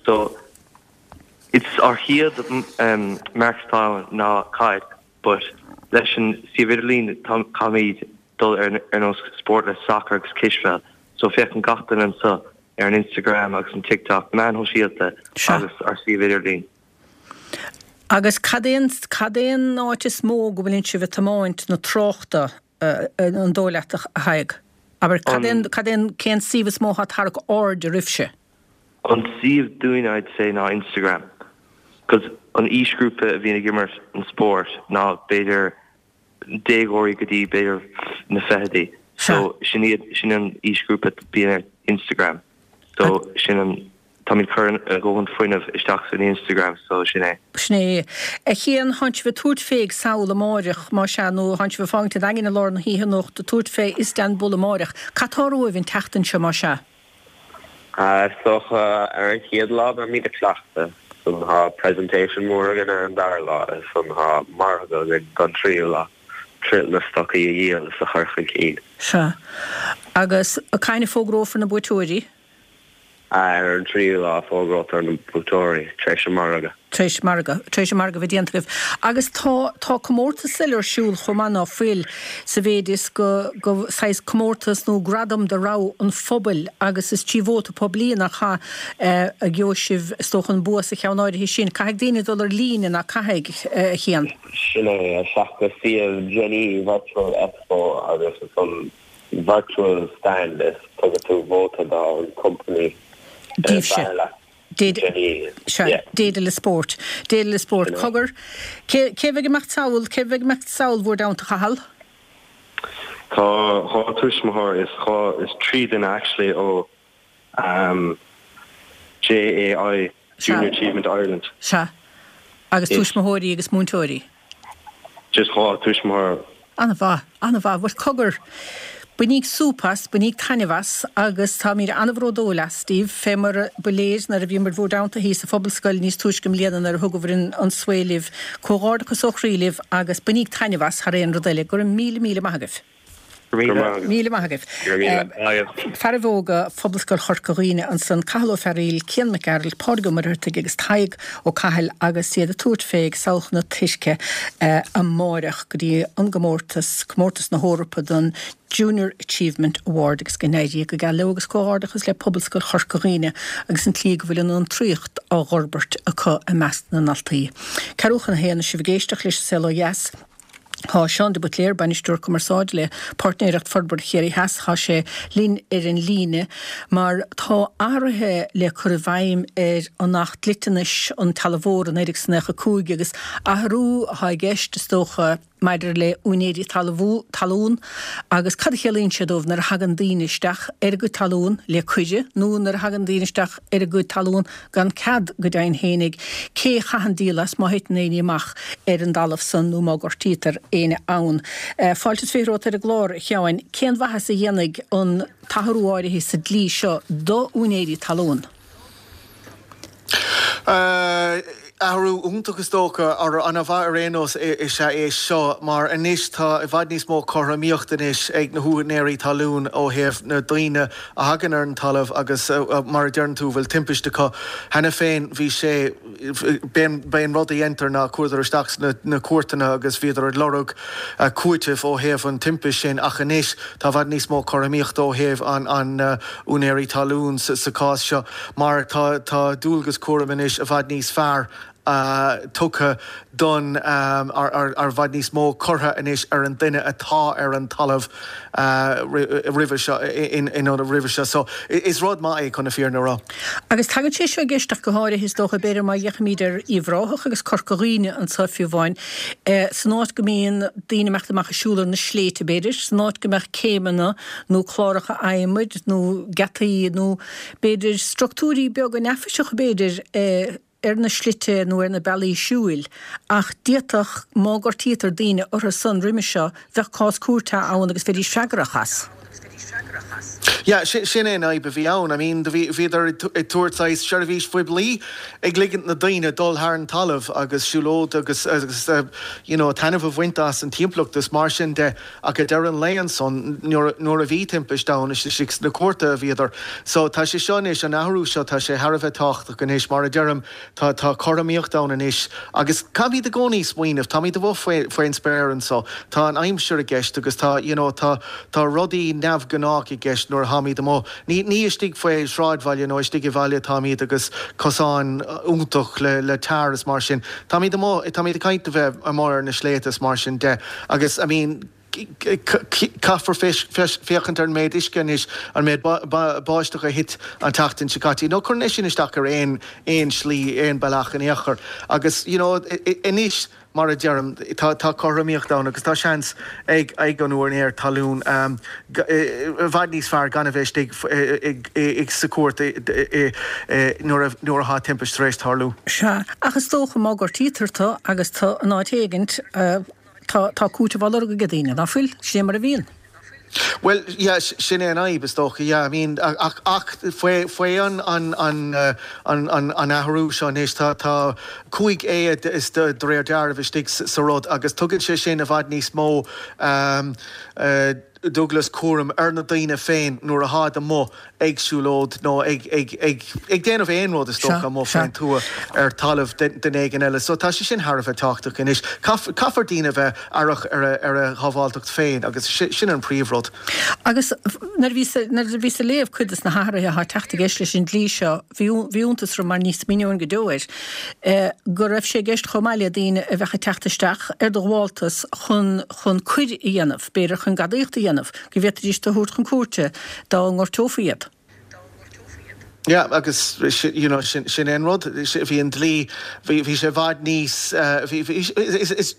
So it's ár chéad marc atá ann ná caid but leis an suíomh idirlín caithfimid dul ar ar nós spórt le soccer agus cispheil so féachann gach duine anseo ar an Instagram agus an TikTok, meáin shóisialta agus ár suíomh idirlín. Agus cad é an cad é an áit is mó go bhfuileann sibh ag tiomáint na tráchta an dóigh leat a Thaidhg? Abair cad é an cad é an cén suíomh is mó atá ag tarrac aird oraibhse? An suíomh dúinn I'd say ná Instagram 'cause an aoisghrúpa a bhíonn ag imirt an spórt ná b'fhéidir déagóirí go dtí b'fhéidir na fichidí. So sin iad, sin an aoisghrúpa a bíonn ar Instagram. So sin an, táimid cur a dhóthain fuinnimh isteach san Instagram so sin é. Sin é. A Chian, thánn sibh ag tabhairt fé ag Seoul amáireach, más ea, nó thánn sibh ag fágaint an Daingin i lár na hoíche anocht, ag tabhairt fé Istanbul amáireach. Cad tá romhaibh an tseachtain seo, más ea? Is dócha ar an chéad lá beimid ag cleachtadh, ansan tá presentation mór againn ar an dara lá is ansan tá margadh againn don tríú lá, triail na stocaí a dhíol is a chur chun cinn. Sea. Agus cathain a fógrófar na buaiteoirí? Ar an tríú lá fógrótar na buaiteoirí, tar éis an margadh. Tar éis margadh, tar éis an margadh a bheith déanta agaibh. Agus tá, tá comórtas eile ar siúl chomh maith ná fuil, sa mhéid is go, go saghas comórtas nó gradam de rogha an phobail agus is trí vóta poiblí nach ea a gheobhaidh sibh is dócha an bua sa cheann áirithe sin. Caithfidh daoine dul ar líne, nach caithfidh, a Chian? Sin é, isteach go suíomh Genii Virtual Expo agus ansan virtual stand is tugann tú vóta don company Díbhse. Sea, Daedalus Sport. Daedalus Sport. Cogar, cé cé a bheidh ag imeacht sall, cé a bheidh ag imeacht sall bhur dteannta, a Chathail? Tá dhá tuismitheoir is dhá is trí duine actually ó um, JAI, Junior Achievement Ireland. Sea. Agus tuismitheoirí agus múinteoirí. Just dhá tuismitheoir. An-mhaith, an-mhaith. Bhuel, cogar, bainíg súp as, bainíg taitneamh as agus táimid an-bhródúil astaibh, fé mar ba léir nuair a bhíomar bhur dteannta thíos sa Phobalscoil níos túisce i mbliana nuair a thugabhair an svae libh. Comhghairdeachas ó chroí libh agus bainíg taitneamh as thar aon rud eile. Go raibh míle míle maith agaibh. Go raibh míle maith agaibh. Go raibh míle maith agaibh. Fearaibh óga Phobalscoil Chorca Dhuibhne ansan, Cathal Ó Fearaíl, Cian Mac Gearailt, Pádraig Ó Muircheartaigh agus Tadhg Ó Cathail agus iad ag tabhairt fé ag Samhail na Tuirce amáireach go dtí an gcomórtas, Comórtas na hEorpa don Junior Achievement Award agus go n-éirí go geal leo agus comhghairdeachas le Pobalscoil Chorca Dhuibhne agus an tslí go bhfuil an fhiontraíocht á dh'fhorbairt acu i measc na ndaltaí. Ceathrú chun a haon is sibh ag éisteacht leis An Saol Ó Dheas. Tá Seán de Buitléir, Bainisteoir Cumarsáide le Páirtnéireacht Forbartha Chiarraí Theas, tá sé linn ar an líne mar tá athruithe le cur i bhfeidhm ar an Acht Dliteanais an Talmhóra naoi déag is naocha cúig agus athrú atá i gceist is dócha maidir le úinéirí talún agus cad a chiallaíonn sé dóibh nuair a thagann daoine isteach ar a gcuid talún le cuireadh nó nuair a thagann daoine isteach ar a gcuid talún gan cead go deimhin fhéinig, cé a chaitheann díol as má thiteann éinne amach ar an dtalamh san nó má gortaítear éinne ann. Fáilte is fiche romhat ar an gclár, a Sheáin. Cén mhaitheas a dhéanfaidh an t-athrú áirithe sa dlí seo do úinéirí talún? Athrú iontach is dócha, ar an-mhaith ar aon nós is ea é seo, mar anois tá i bhfad níos mó cothromaíocht anois ag na húinéirí talún ó thaobh na daoine a thagann ar an talamh agus mar a deireann tú bhfuil timpiste acu. Cheana féin bhí sé, b'é an rud a dhéantar ná chuadar isteach sna na cúirteanna agus bhíodar ag lorg cúitimh ó thaobh an timpist sin ach anois tá i bhfad níos mó cothromaíochta ó thaobh an an úinéirí talún sa chás seo mar tá tá dualgas cúraim anois i bhfad níos fearr tugtha don ar i bhfad níos mó curtha anois ar an duine atá ar an talamh roimhe seo in ionad roimhe seo. So is rud maith é chun na fírinne a rá. Agus tagann sé seo i gceist ach go háirithe is dócha, b'fhéidir má fhéachaimid ar Uíbh Ráthach agus Corca Dhuibhne anseo fiú amháin, san áit go mbíonn daoine imeacht amach ag siúl ar na sléibhte b'fhéidir, san áit go mbeadh céimeanna nó cláracha adhmaid nó geataí nó b'fhéidir structúirí beaga neafaiseacha b'fhéidir, ar na slite nó ar na bealaí siúil, ach d'fhéadfadh, má gortaítear daoine orthu san roimhe seo, bheadh cás cúirte ann agus bheidís freagrach as. Yeah, sin é an fhadhb a bhí ann. I mean, bhíodar ag tabhairt saghas seirbhís phoiblí, ag ligint na daoine dul thar an talamh agus siúlóid agus you know, taitneamh a bhaint as an timpeallacht is mar sin de ach ag deireadh an lae ansan nuair a bhí timpist ann, is istigh sna cúirteanna a bhíodar. So tá sé seo anois, an athrú seo, tá sé thar a bheith tábhachtach anois, mar a deirim, tá tá cothromaíocht ann anois agus caithfimid i gcónaí smaoineamh, táimid amuigh faoi faoin spéir anso, tá an aimsir i gceist agus tá you know tá tá rudaí neamhghnách i gceist nuair a tháimid amuigh. Ní ní istigh faoi shráidbhaile nó istigh i bhaile atáimid agus cosáin iontach le le tar is mar sin. Táimid amuigh, táimid ag caint a bheith amuigh ar na sléibhte is mar sin de agus I mean caithfear féachaint ar an méid uisce anois, an méid báisteach a thit an tseachtain seo caite. You know, cuireann é sin isteach ar aon aon slí, aon bealach in aon chor. Agus you know, anois, mar a deirim, tá tá cothromaíocht ann agus tá seans ag ag an úinéir talún i bhfad níos fearr gan a bheith istigh sa chúirt nuair a nuair atá timpist tar éis tarlú. Sea, ach is dócha má gortaítear tú agus tú in áit éigint, Tá, tá cúiteamh á lorg ag daoine, ná fuil? Sin é mar a bhíonn. Bhuel, yeah, sin é an fhadhb, is dócha, yeah, I mean, ach, ach faoi, faoi an, an, an, an, an, an athrú seo anois, tá, tá cúig A is de, de réir dealraimh istigh sa rud agus tugann sé sin i bhfad níos mó um, uh, dualgas cúraim ar na daoine féin nuair atáid amuigh ag siúlóid nó ag ag déanamh aon rud is dócha amuigh faoin tuath ar talamh duine éigin eile. So tá sé sin thar a bheith tábhachtach anois. Caithfear daoine a bheith aireach ar a shábháilteacht féin agus sin an príomhrud. Agus nuair a bhíos nuair a bhíos ag léamh cuid de na hathruithe atá ag teacht i gceist leis an dlí seo, bhí bhí iontas orm mar ní smaoineoinn go deo air, go raibh sé i gceist chomh maith le daoine a bheadh ag teacht isteach ar do ghabháltas chun chun coir a dhéanamh, b'fhéidir chun gadaíocht a dhéanamh, go bhféadfaidís tú a thabhairt chun cúirte dá ngortófaí iad. Yeah, agus you know, sin, sin é an rud, bhí an dlí, bhí, bhí sé i bhfad níos, bhí, bhí, is, is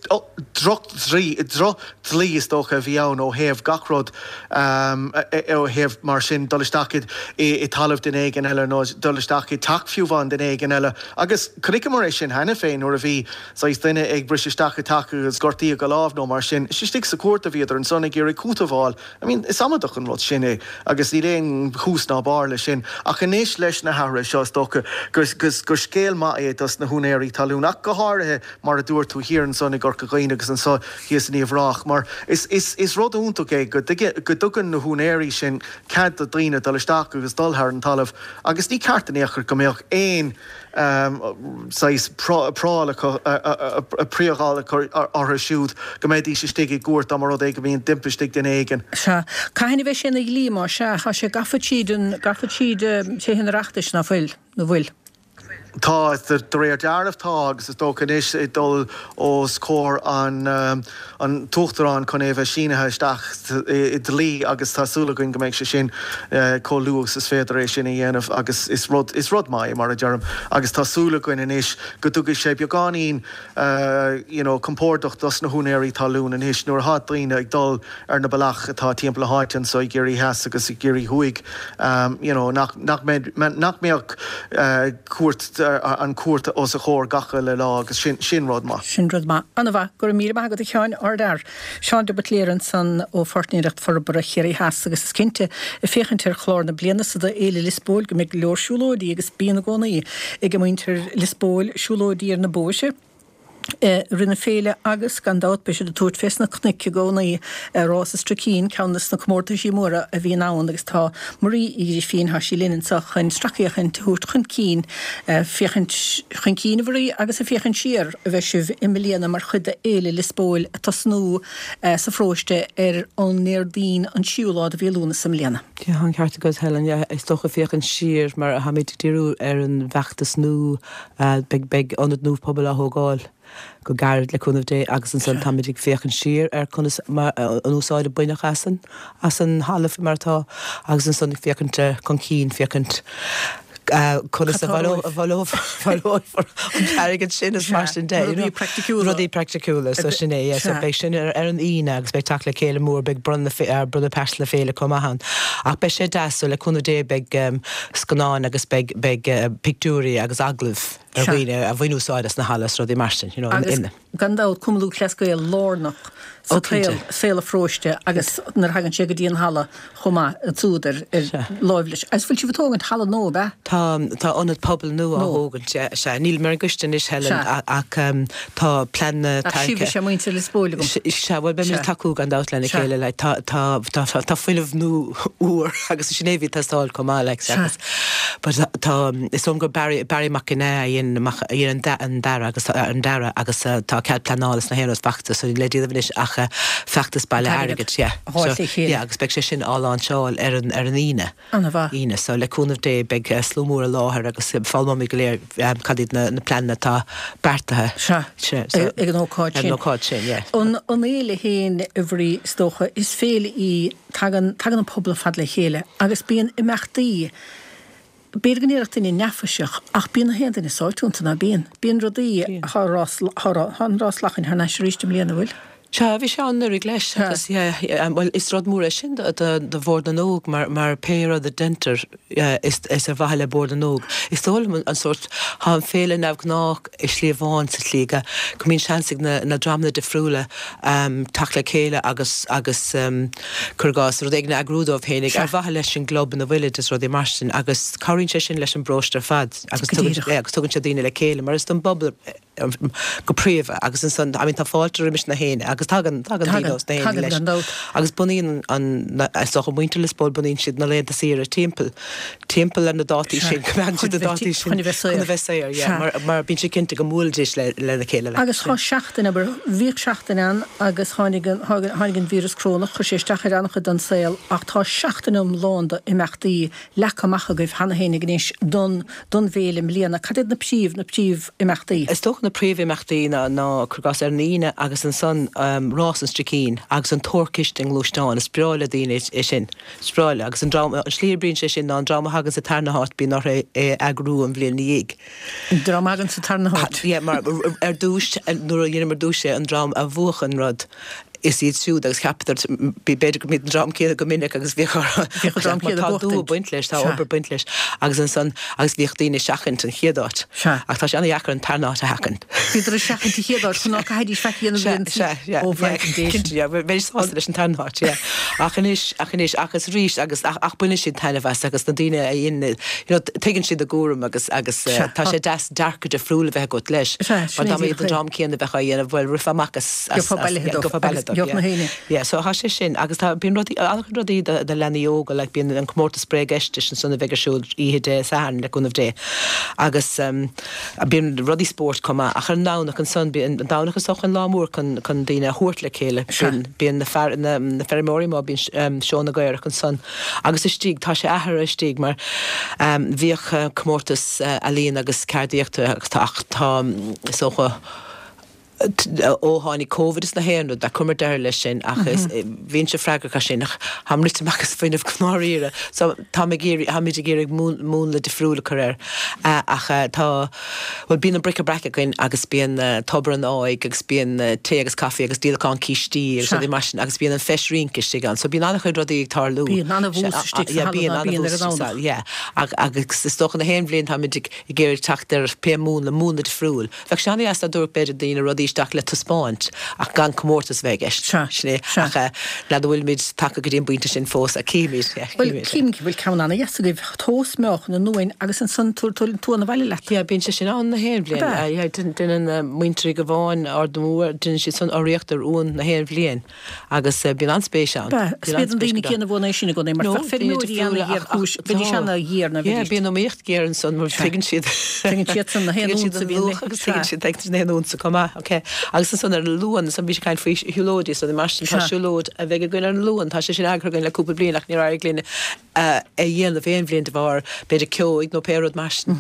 drochdhlí, drochdhlí is dócha a bhí ann ó thaobh gach rud, ó thaobh mar sin dul isteach i, i talamh duine éigin eile nó dul isteach i teach fiú amháin duine éigin eile. Agus chonaiceamar é sin cheana féin nuair a bhí saghas duine ag briseadh isteach i teach agus gortaíodh a lámh nó mar sin. Is istigh sa chúirt a bhíodar ansan ag iarraidh cúiteamh a fháil. I mean, is amaideach an rud sin é agus níl aon thús ná barr leis sin. Ach anois leis na hathruithe seo is dócha gur, gur scéal maith é dos na húinéirí talún ach go háirithe mar a dúirt tú thiar ansan i gCorca Dhuibhne agus anso thíos in Uíbh Ráthach mar is, is, is rud iontach é go, go dtugann na húinéirí sin cead do dhaoine dul isteach agus dul thar an talamh agus ní ceart in aon chor go mbeadh aon saghas priacal acu, priacal acu orthu siúd go mbeidís istigh i gcúirt dá mba rud é go mbíonn timpiste ag duine éigin. Sea. Cathain a bheidh sé ina dhlí, má sea? Tá sé gafa tríd an, gafa tríd Tithe an Oireachtais, ná fuil? Nó bhfuil? Tá, de réir dealraimh tá, agus is dócha anois ag dul os comhair an an tUachtaráin chun é a bheith sínithe isteach i dlí agus tá súil againn go mbeidh sé sin chomh luath agus is féidir é sin a dhéanamh agus is rud is rud maith é mar a deirim agus tá súil againn anois go dtugfaidh sé beagáinín you know compordach dos na húinéirí talún anois nuair atá daoine ag dul ar na bealaí atá timpeall na háite anso i gCiarraí Theas agus i gCiarraí Thuaidh you know nach nach mbeidh nach mbeadh cúirt an cuarta os a chomhair gach uile lá agus sin sin rud maith. Sin rud maith. An-mhaith, go raibh míle maith agat a Sheáin, ardfhear. Seán de Buitléir ansan ó Pháirtnéireacht Forbartha Chiarraí Theas agus is cinnte ag féachaint ar chlár na bliana so do Fhéile Liospóil go mbeidh go leor siúlóidí agus bíonn i gcónaí ag muintir Liospóil siúlóidí ar na bóithre i rith na féile agus gan dabht beidh siad ag tabhairt fés na cnoic i gcónaí ar Rás an Stricín, ceann des na comórtaisí móra a bhíonn ann agus tá Marie Uí Ghrifín, tá sí linn anseo chun sracfhéachaint a thabhairt chun cinn, féachaint chun cinn a Mharie agus ag féachaint siar a bheidh sibh i mbliana mar chuid de Fhéile Liospóil ag tosnú sa pharóiste ar an nDéardaoin an tríú lá de mhí Lúnasa i mbliana. Yeah, an ceart agat Helen, yeah, is dócha féachaint siar mar táimid ag díriú ar an bhfeachtas nua, beidh beidh ionad nua pobail á thógáil go gairid le cúnamh Dé agus ansan táimid ag féachaint siar ar conas an úsáid a baineadh as an as an thalamh mar atá agus ansan ag féachaint chun cinn, féachaint conas a bhaileofar an t-airgead sin is mar sin de. Rudaí praiticiúla. Rudaí praiticiúla, so sin é, yeah, so beidh sin ar an Aoine agus beidh teacht le chéile mór, beidh bronnadh bronnadh pearsa na féile chomh maith ann. Ach beidh sé deas, so le cúnamh Dé beidh scannáin agus beidh beidh pictiúirí agus agallaimh ar dhaoine a bhain úsáid as na halla is rudaí mar sin, you know, Agus gan dabht Cumann Lúthchleas Gael lárnach sa tsaol, saol an pharóiste agus nuair a thagann sé go dtí an halla chomh maith, an tsúd ar láimh leis. Agus bhfuil sibh ag tógaint halla nua, ab ea? Tá, tá ionad pobail nua á thógaint, sea. Nílim ar an gcoiste anois, Helen, ach tá pleananna Ach sibh is ea muintir Lios Póil agam. Sea, bhuel beimid ag tacú gan dabht lena chéile, like, tá, tá, tá, tá fuinneamh nua úr agus sin é a bhí ag teastáil chomh maith, like, agus but tá, is dóigh liom gur Barry, Barry Mac Ginneá a dhein, a dhein an dearadh agus an dearadh agus tá cead pleanála is na haon rud faighte so níl le déanamh anois ach feachtas bailithe airgid, yeah. A fháil le chéile. Yeah, agus beidh sé sin á láinseáil ar an, ar an Aoine. An-mhaith. Aoine, so le cúnamh Dé beidh slua mór i láthair agus foghlaimeoimid go léir cad iad na, na pleananna atá beartaithe. Sea, Sea, so, ag an ócáid ar sin. an ócáid sin, yeah. An, an fhéile féin, a Mharie, is dócha, is féile í, tagann, tagann an pobal ar fad le chéile agus bíonn imeachtaí, B'fhéidir go ndéarfadh duine neafaiseach, ach bíonn na haon duine sáite iontu, ná bíonn? Bíonn rudaí, thá rás, thá an rás lachain thar n-ais arís i mbliana, bhfuil? Sea, bhí sé ann anuraidh leis agus yeah, bhuel is rud mór é sin do, do, do Bhord na nÓg mar, mar pé rud a deintear is, is ar mhaithe le Bord na nÓg. Is dóigh liom an, an sórt, thá an féile neamhghnách i slí amháin sa tslí go, go mbíonn seans ag na, na dreamanna difriúla teacht le chéile agus, agus cuir i gcás, rud éigin a eagrú dóibh féinig ar mhaithe leis an gclub ina bhfuilid is rudaí mar sin agus cabhraíonn sé sin leis an bparóiste ar fad agus tugann, agus tugann sé daoine le chéile mar is don bpobal go príomha agus ansan, I mean tá fáilte roimis na héinne agus tagann, tagann daoine ós na héinne leis agus bunaíonn an, is dócha muintir Lios Póil bunaíonn siad na laethanta saoire timpeall, timpeall ar na dátaí sin, coimeádann siad na dátaí sin chun a bheith saor, chun a bheith saor, yeah, mar, mar bíonn siad cinnte go mbuailfidís le, lena chéile leis. Agus tá seachtain, abair, bhíodh seachtain ann agus tháinig an, tháinig an víreas corónach, chuir sé isteach ar an-chuid den saol ach tá seachtain iomlán d'imeachtaí leagtha amach agaibh cheana féin anois don, don bhféile i mbliana. Cad iad na príomh, na príomhimeachtaí? Is dócha na príomhimeachtaí ná, ná, cuir i gcás, ar an Aoine agus ansan Rás an Stricín agus an Tuar Ciste i ngluaisteán. Is breá le daoine é sin. Is breá leo. Agus an dream, an slí a oibríonn sé sin ná an dream a thagann sa tarna háit bíonn orthu é a eagrú an bhliain ina dhiaidh. An dream a thagann sa tarna háit? Yeah, mar ar dtús, nuair a dheineamar ar dtús é, an dream a bhuach an rud, is iad siúd agus cheapadar, b'fhéidir go mbíodh an dream céanna go minic agus bhíodh orthu, Bhíodh an dream mar céanna tá dua buachtaint. baint leis, tá Sea. obair baint leis agus ansan, agus bhíodh daoine ag seachaint an chéad áit. Sea. Ach tá sé an-dheacair an tarna háit a sheachaint. Bhíodar ag seachaint an chéad áit chun ná caithfidís faic a dhéanamh Sea, an sea, yeah, Ó, yeah, bhraith an dé sin. cinnte, yeah, bheidís sásta leis an tarna háit, yeah. Ach anois, ach anois, agus arís, agus ach, ach baineann siad taitneamh as agus na daoine a dhéanann, you know, tuigeann siad a gcúram agus, agus eh, Sea. tá sé deas dearcadh difriúil a bheith agat leis. Sea, Mar sin é dá mba díreach iad an é. dream céanna a bheadh á dhéanamh, bhuel, rithfeá amach as, as, Gheofá as, bailithe yeah, dóibh gheofá bailithe agus dóibh, gheobhadh na yeah. héinne. Yeah, so tá sé sin agus tá, bíonn rudaí, an-chuid rudaí do, do leanaí óga, like bíonn an comórtas bréagfheistis ansan a bheidh ar siúl oíche Dé Sathairn le cúnamh Dé agus um, bíonn rudaí spóirt chomh maith ach ar an nDomhnach ansan, bíonn an Domhnach is dócha an lá mór chun, chun daoine a thabhairt le chéile. Sea. Bíonn, bíonn na, fear, na, na feirmeoirí má bíonn um, seó na gcaorach ansan agus istigh, tá sé athraithe istigh mar um, bhíodh uh, comórtas uh, ealaíon agus ceardaíochta agus tá, ach tá, is dócha, Ó tháinig Covid is na haon rud, chuireamar deireadh leis sin ach bhínnse freagrach as sin ach táim rite amach as fuinneamh go ndáiríre. So táim ag iarraidh, táimid ag iarraidh múnla difriúil a chur air. Ach tá, bhuel bíonn an Bric-a-Brac againn agus bíonn Tobar an Áidh agus bíonn tae agus caife agus díolachán cístí agus rudaí mar sin agus bíonn an Feis Rince istigh ann. So bíonn an-chuid rudaí ag tarlú. Bíonn an-bhús istigh sa halla ná bíonn ar an Domhnach. Yeah. Agus is dócha na haon bhliain táimid ag iarraidh teacht ar pé múnla, múnla difriúil. Bheadh sé an-dheas dá dtabharfadh b'fhéidir daoine rudaí isteach le taispeáint ach gan comórtas a bheith i gceist. Sea, Sin é. sea. Ach n'fheadar an bhfuilimid tagtha go dtí an bpointe sin fós ach cífimid, yeah, Bhuel, cífimid. cím go bhfuil ceann an-dheas agaibh, tomhas meáchan an uain agus ansan tabhair an t-uan abhaile leat. Yeah, bíonn sé sin ann na haon bhliain. Ab ea? Yeah, déanann muintir Uí Ghabháin, Ard na Bua, déanann siad san urraíocht ar uan na haon bhliain agus bíonn an-spéis ann. Ab ea? Is Bíonn iad an an-spéis daoine go céanna a bhuann é sin i gcónaí mar No, bheadh daoine feirmeoirí difriúla ach ana-ghéarchúis, ach bheidís tá. ana-ghéar ná Yeah, bheidís. bíonn iomaíocht géar ansan mar tuigeann siad. Tuigeann siadsan na haon Tuigeann siad unsa a an bhíonn luach le, agus sea. tuigeann siad tuigeann siad na haon unsa chomh maith, ok. Agus ansan ar an Luan, ansan bhí sé ag caint faoi shiúlóidí so mar sin tá Sea. siúlóid a bheidh againn ar an Luan, tá sé sin eagraithe againn le cúpla bliain ach níor éirigh linn a dhéanamh aon bhliain de bharr b'fhéidir ceoigh nó pé rud mar sin.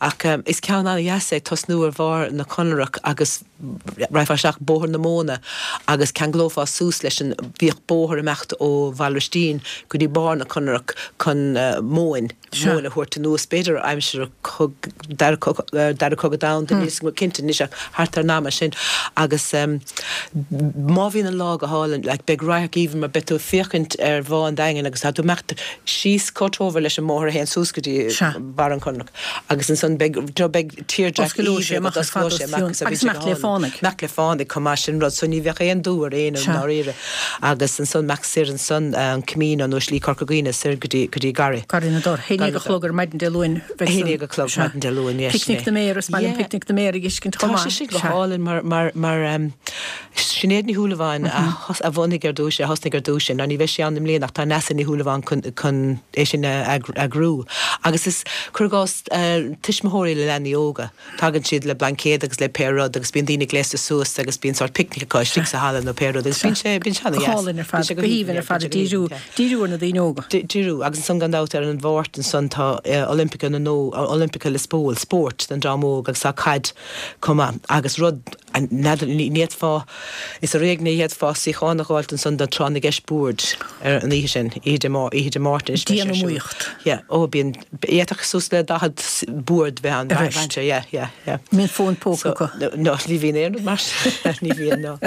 Ach is ceann an-dheas é tosnú ar bharr na Conrach agus raghfá isteach Bóthar na Móna agus ceanglófá suas leis an bhíodh bóthar imeacht ó Bhaile Roistín go dtí barr na Conrach chun móin, Sea. móin a thabhairt anuas b'fhéidir aimsir dara dara cogadh domhanda níl 's agam cinnte anois ach thart ar an ama sin agus má bhíonn an lá go hálainn like beidh radharc aoibhinn mar beidh tú ag féachaint ar Bhá an Daingin agus tá tú imeacht síos chomh treomhar leis an mbóthar a théann suas go dtí Sea. barr an Chonrach agus ansan beidh beidh tírdhreach Osclóidh sé aoibhinn amach agat ar fad osclóidh os sé amach cionn agus agus beidh sé imeacht go le hálainn. fánaigh. Imeacht le fánaigh chomh maith sin rud so ní bheadh aon dú ar éinne Sea. ndáiríre agus ansan imeacht soir ansan an Camino nó Slí Corca Dhuibhne soir go dtí go dtí Garraí. Garraí na dTor. Haon déag a chlog ar maidin Dé Luain bheidh Haon san. déag a chlog Sea. maidin Dé Luain, yes, Picnic sin é. na Méar, is maith liom Yeah. Picnic na Méar a fheiscint chomh Tá maith. sé sin go Sea. hálainn mar mar mar um, Sinéad Ní Shúilleabháin a thos- a bhunaigh ar dtús, a thosnaigh ar dtús sin, ná ní bheidh sí ann i mbliana ach tá Neasa Ní Shúilleabháin chun chun é sin a eagrú. Agus is cuir i gcás uh, tuismitheoirí le leanaí óga. Tagann siad le blaincéad agus le pé rud agus bíonn daoine gléasta suas agus bíonn sort picnic acu istigh sa halla nó pé rud agus bíonn sé bíonn sé Go an-dheas. hálainn ar Bíonn fad, sé go go haoibhinn haoibhinn, ar fad, bíonn sé go díriú haoibhinn, yeah. díriú ar na daoine óga. Díriú agus ansan gan dabht ar an Mháirt ansan tá uh, Olympica na nó Olympica Lispole sport den dream óg agus tá caid chomh maith agus rud ní fhéadfá is ar éigean a d'fhéadfá suíochán a fháilt ansan do tráth na gceist boird ar an oíche sin oíche Dé Má- oíche Dé Máirt anois beidh sé ar siúl. Dian-iomaíocht. Yeah, ó bíonn d'fhéadfadh suas le daichead bord bheith ann Ar bheith ais. sé, yeah, yeah, yeah. Mbíonn fón póca So, acu. no, no, ní bhíonn aon rud mar sin. Ní bhíonn, no.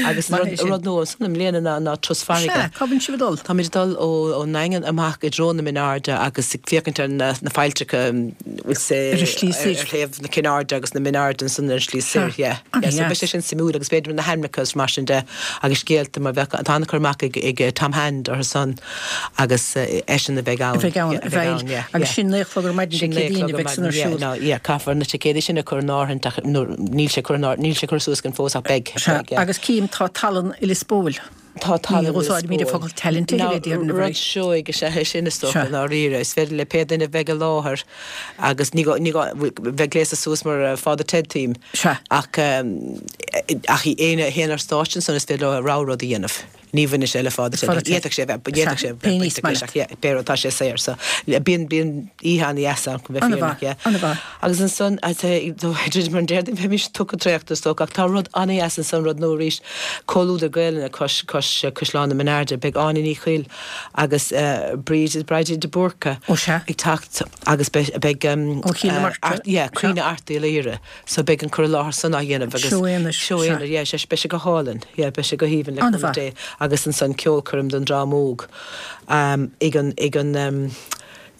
Agus Mar rud, é sin. rud nua ansan i mbliana ná ná turas farraige. Sea, cá bhfuil sibh ag dul? Táimid ag dul ó ón nDaingean amach i dtreo na Mine Airde agus ag féachaint ar na, na failltreacha bhfuil sé Ar an slí soir. ar thaobh na Cinn Airde agus na Mine Airde ansan ar an slí soir, Sea. yeah. An Yeah, so dheas. beidh sé sin suimiúil agus b'fhéidir na hainmneacha is mar sin de agus scéalta mar bheadh tá an-chur amach ag, ag Tom Hand ar son agus uh, eisean a bheidh ann. A bheidh ann, Yeah, a bheidh yeah, agus yeah. sin naoi a chlog ar maidin Dé Sin naoi a Céadaoin chlog a ar bheidh san ar maidin, yeah, siúl. no, yeah, caithfear na ticéadaí sin a chur in áirithe ach nó níl sé cur in áirithe- níl sé cur suas gan fós ach beidh. Sea, beidh, yeah. agus cím tá tallann i Liospóil. Tá tallann Ní úsáidimid an focal talent a thuilleadh, déarfainn, a rud bhreis. seoigh is ea é sin is dócha Sea. ndáiríre. Is féidir le pé duine bheith i láthair agus ní gá- ní gá- bheith gléasta suas mar uh, Father Ted team. Sea. Ach um, ach éinne a théann ar stáitse ansan is féidir leo rogha rud a dhéanamh. Ní bhaineann sé le Father Ted. Father Ted. D'fhéadfadh sé bheith d'fhéadfadh Sea, sé pé bheith níos bainteach leis, maith. ach yeah, b'fhéidir tá sé saor so bíonn bíonn oíche an-dheas ann chun bheith An-mhaith, fírinneach, yeah. an-mhaith. Agus ansan mar an Déardaoin bheimis tugtha traochta is dócha ach tá rud an-dheas ansan rud nua arís Comhluadar Gaelainne cois cois Caisleán na Mine Airde beidh Áine Ní Chuill agus uh, Bríd Bridie de Búrca Ó, sea. ag teacht agus beidh beidh um, Ó Chill na uh, Martra. Art- yeah, Caoineadh Art Uí Laoghaire so beidh an cur i láthair san á dhéanamh agus Seó aonair, seó sea. aonair, yeah, sé beidh sé go hálainn yeah, beidh sé go haoibhinn le An-mhaith. cúnamh Dé agus ansan ceolchoirm don dream óg um, ag an ag an um,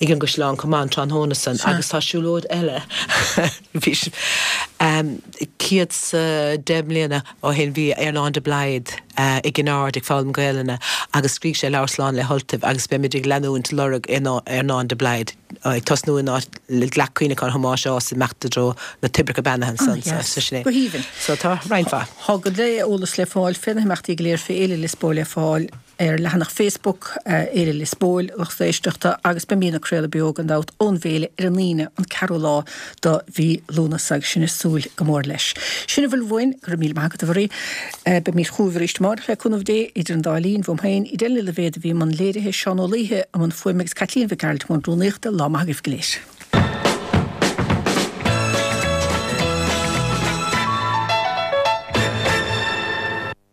ag an gCaisleán chomh maith an tráthnóna san agus tá siúlóid eile bhí um, céad sa deich mbliana ó shin bhí Earnán de Blaghad uh, i gCinn Aird ag foghlaim Gaelainne agus scrígh sé leabhar Slán le hUltaibh agus beimid ag leanúint lorg Earnán de Blaghad ag tosnú in áit le Leac Cuimhneacháin Thomáis Ághas imeacht i dtreo na toibreacha beannaithe ansan Ah, yes. so sin é. Go haoibhinn. So tá roinnt mhaith. Tá go leor eolas le fáil fé na himeachtaí go léir fé Fhéile Liospóil le fáil ar leathanach Facebook Fhéile Liospóil lucht éisteachta agus beimid ag craoladh beo gan dabht ón bhféile ar an Aoine an ceathrú lá de mhí Lúnasa agus sinn ag súil go mór leis. Sin a bhfuil uainn go raibh míle maith agat a Mharie beimid chugaibh arís amárach le cúnamh Dé idir an dá linn uaim féin Edel Ní Loibhéad a bhí i mbun léirithe Seán Ó Laoithe i mbun fuaime agus Caitlín Mhic Gearailt i mbun rúnaíochta lá maith agaibh go léir.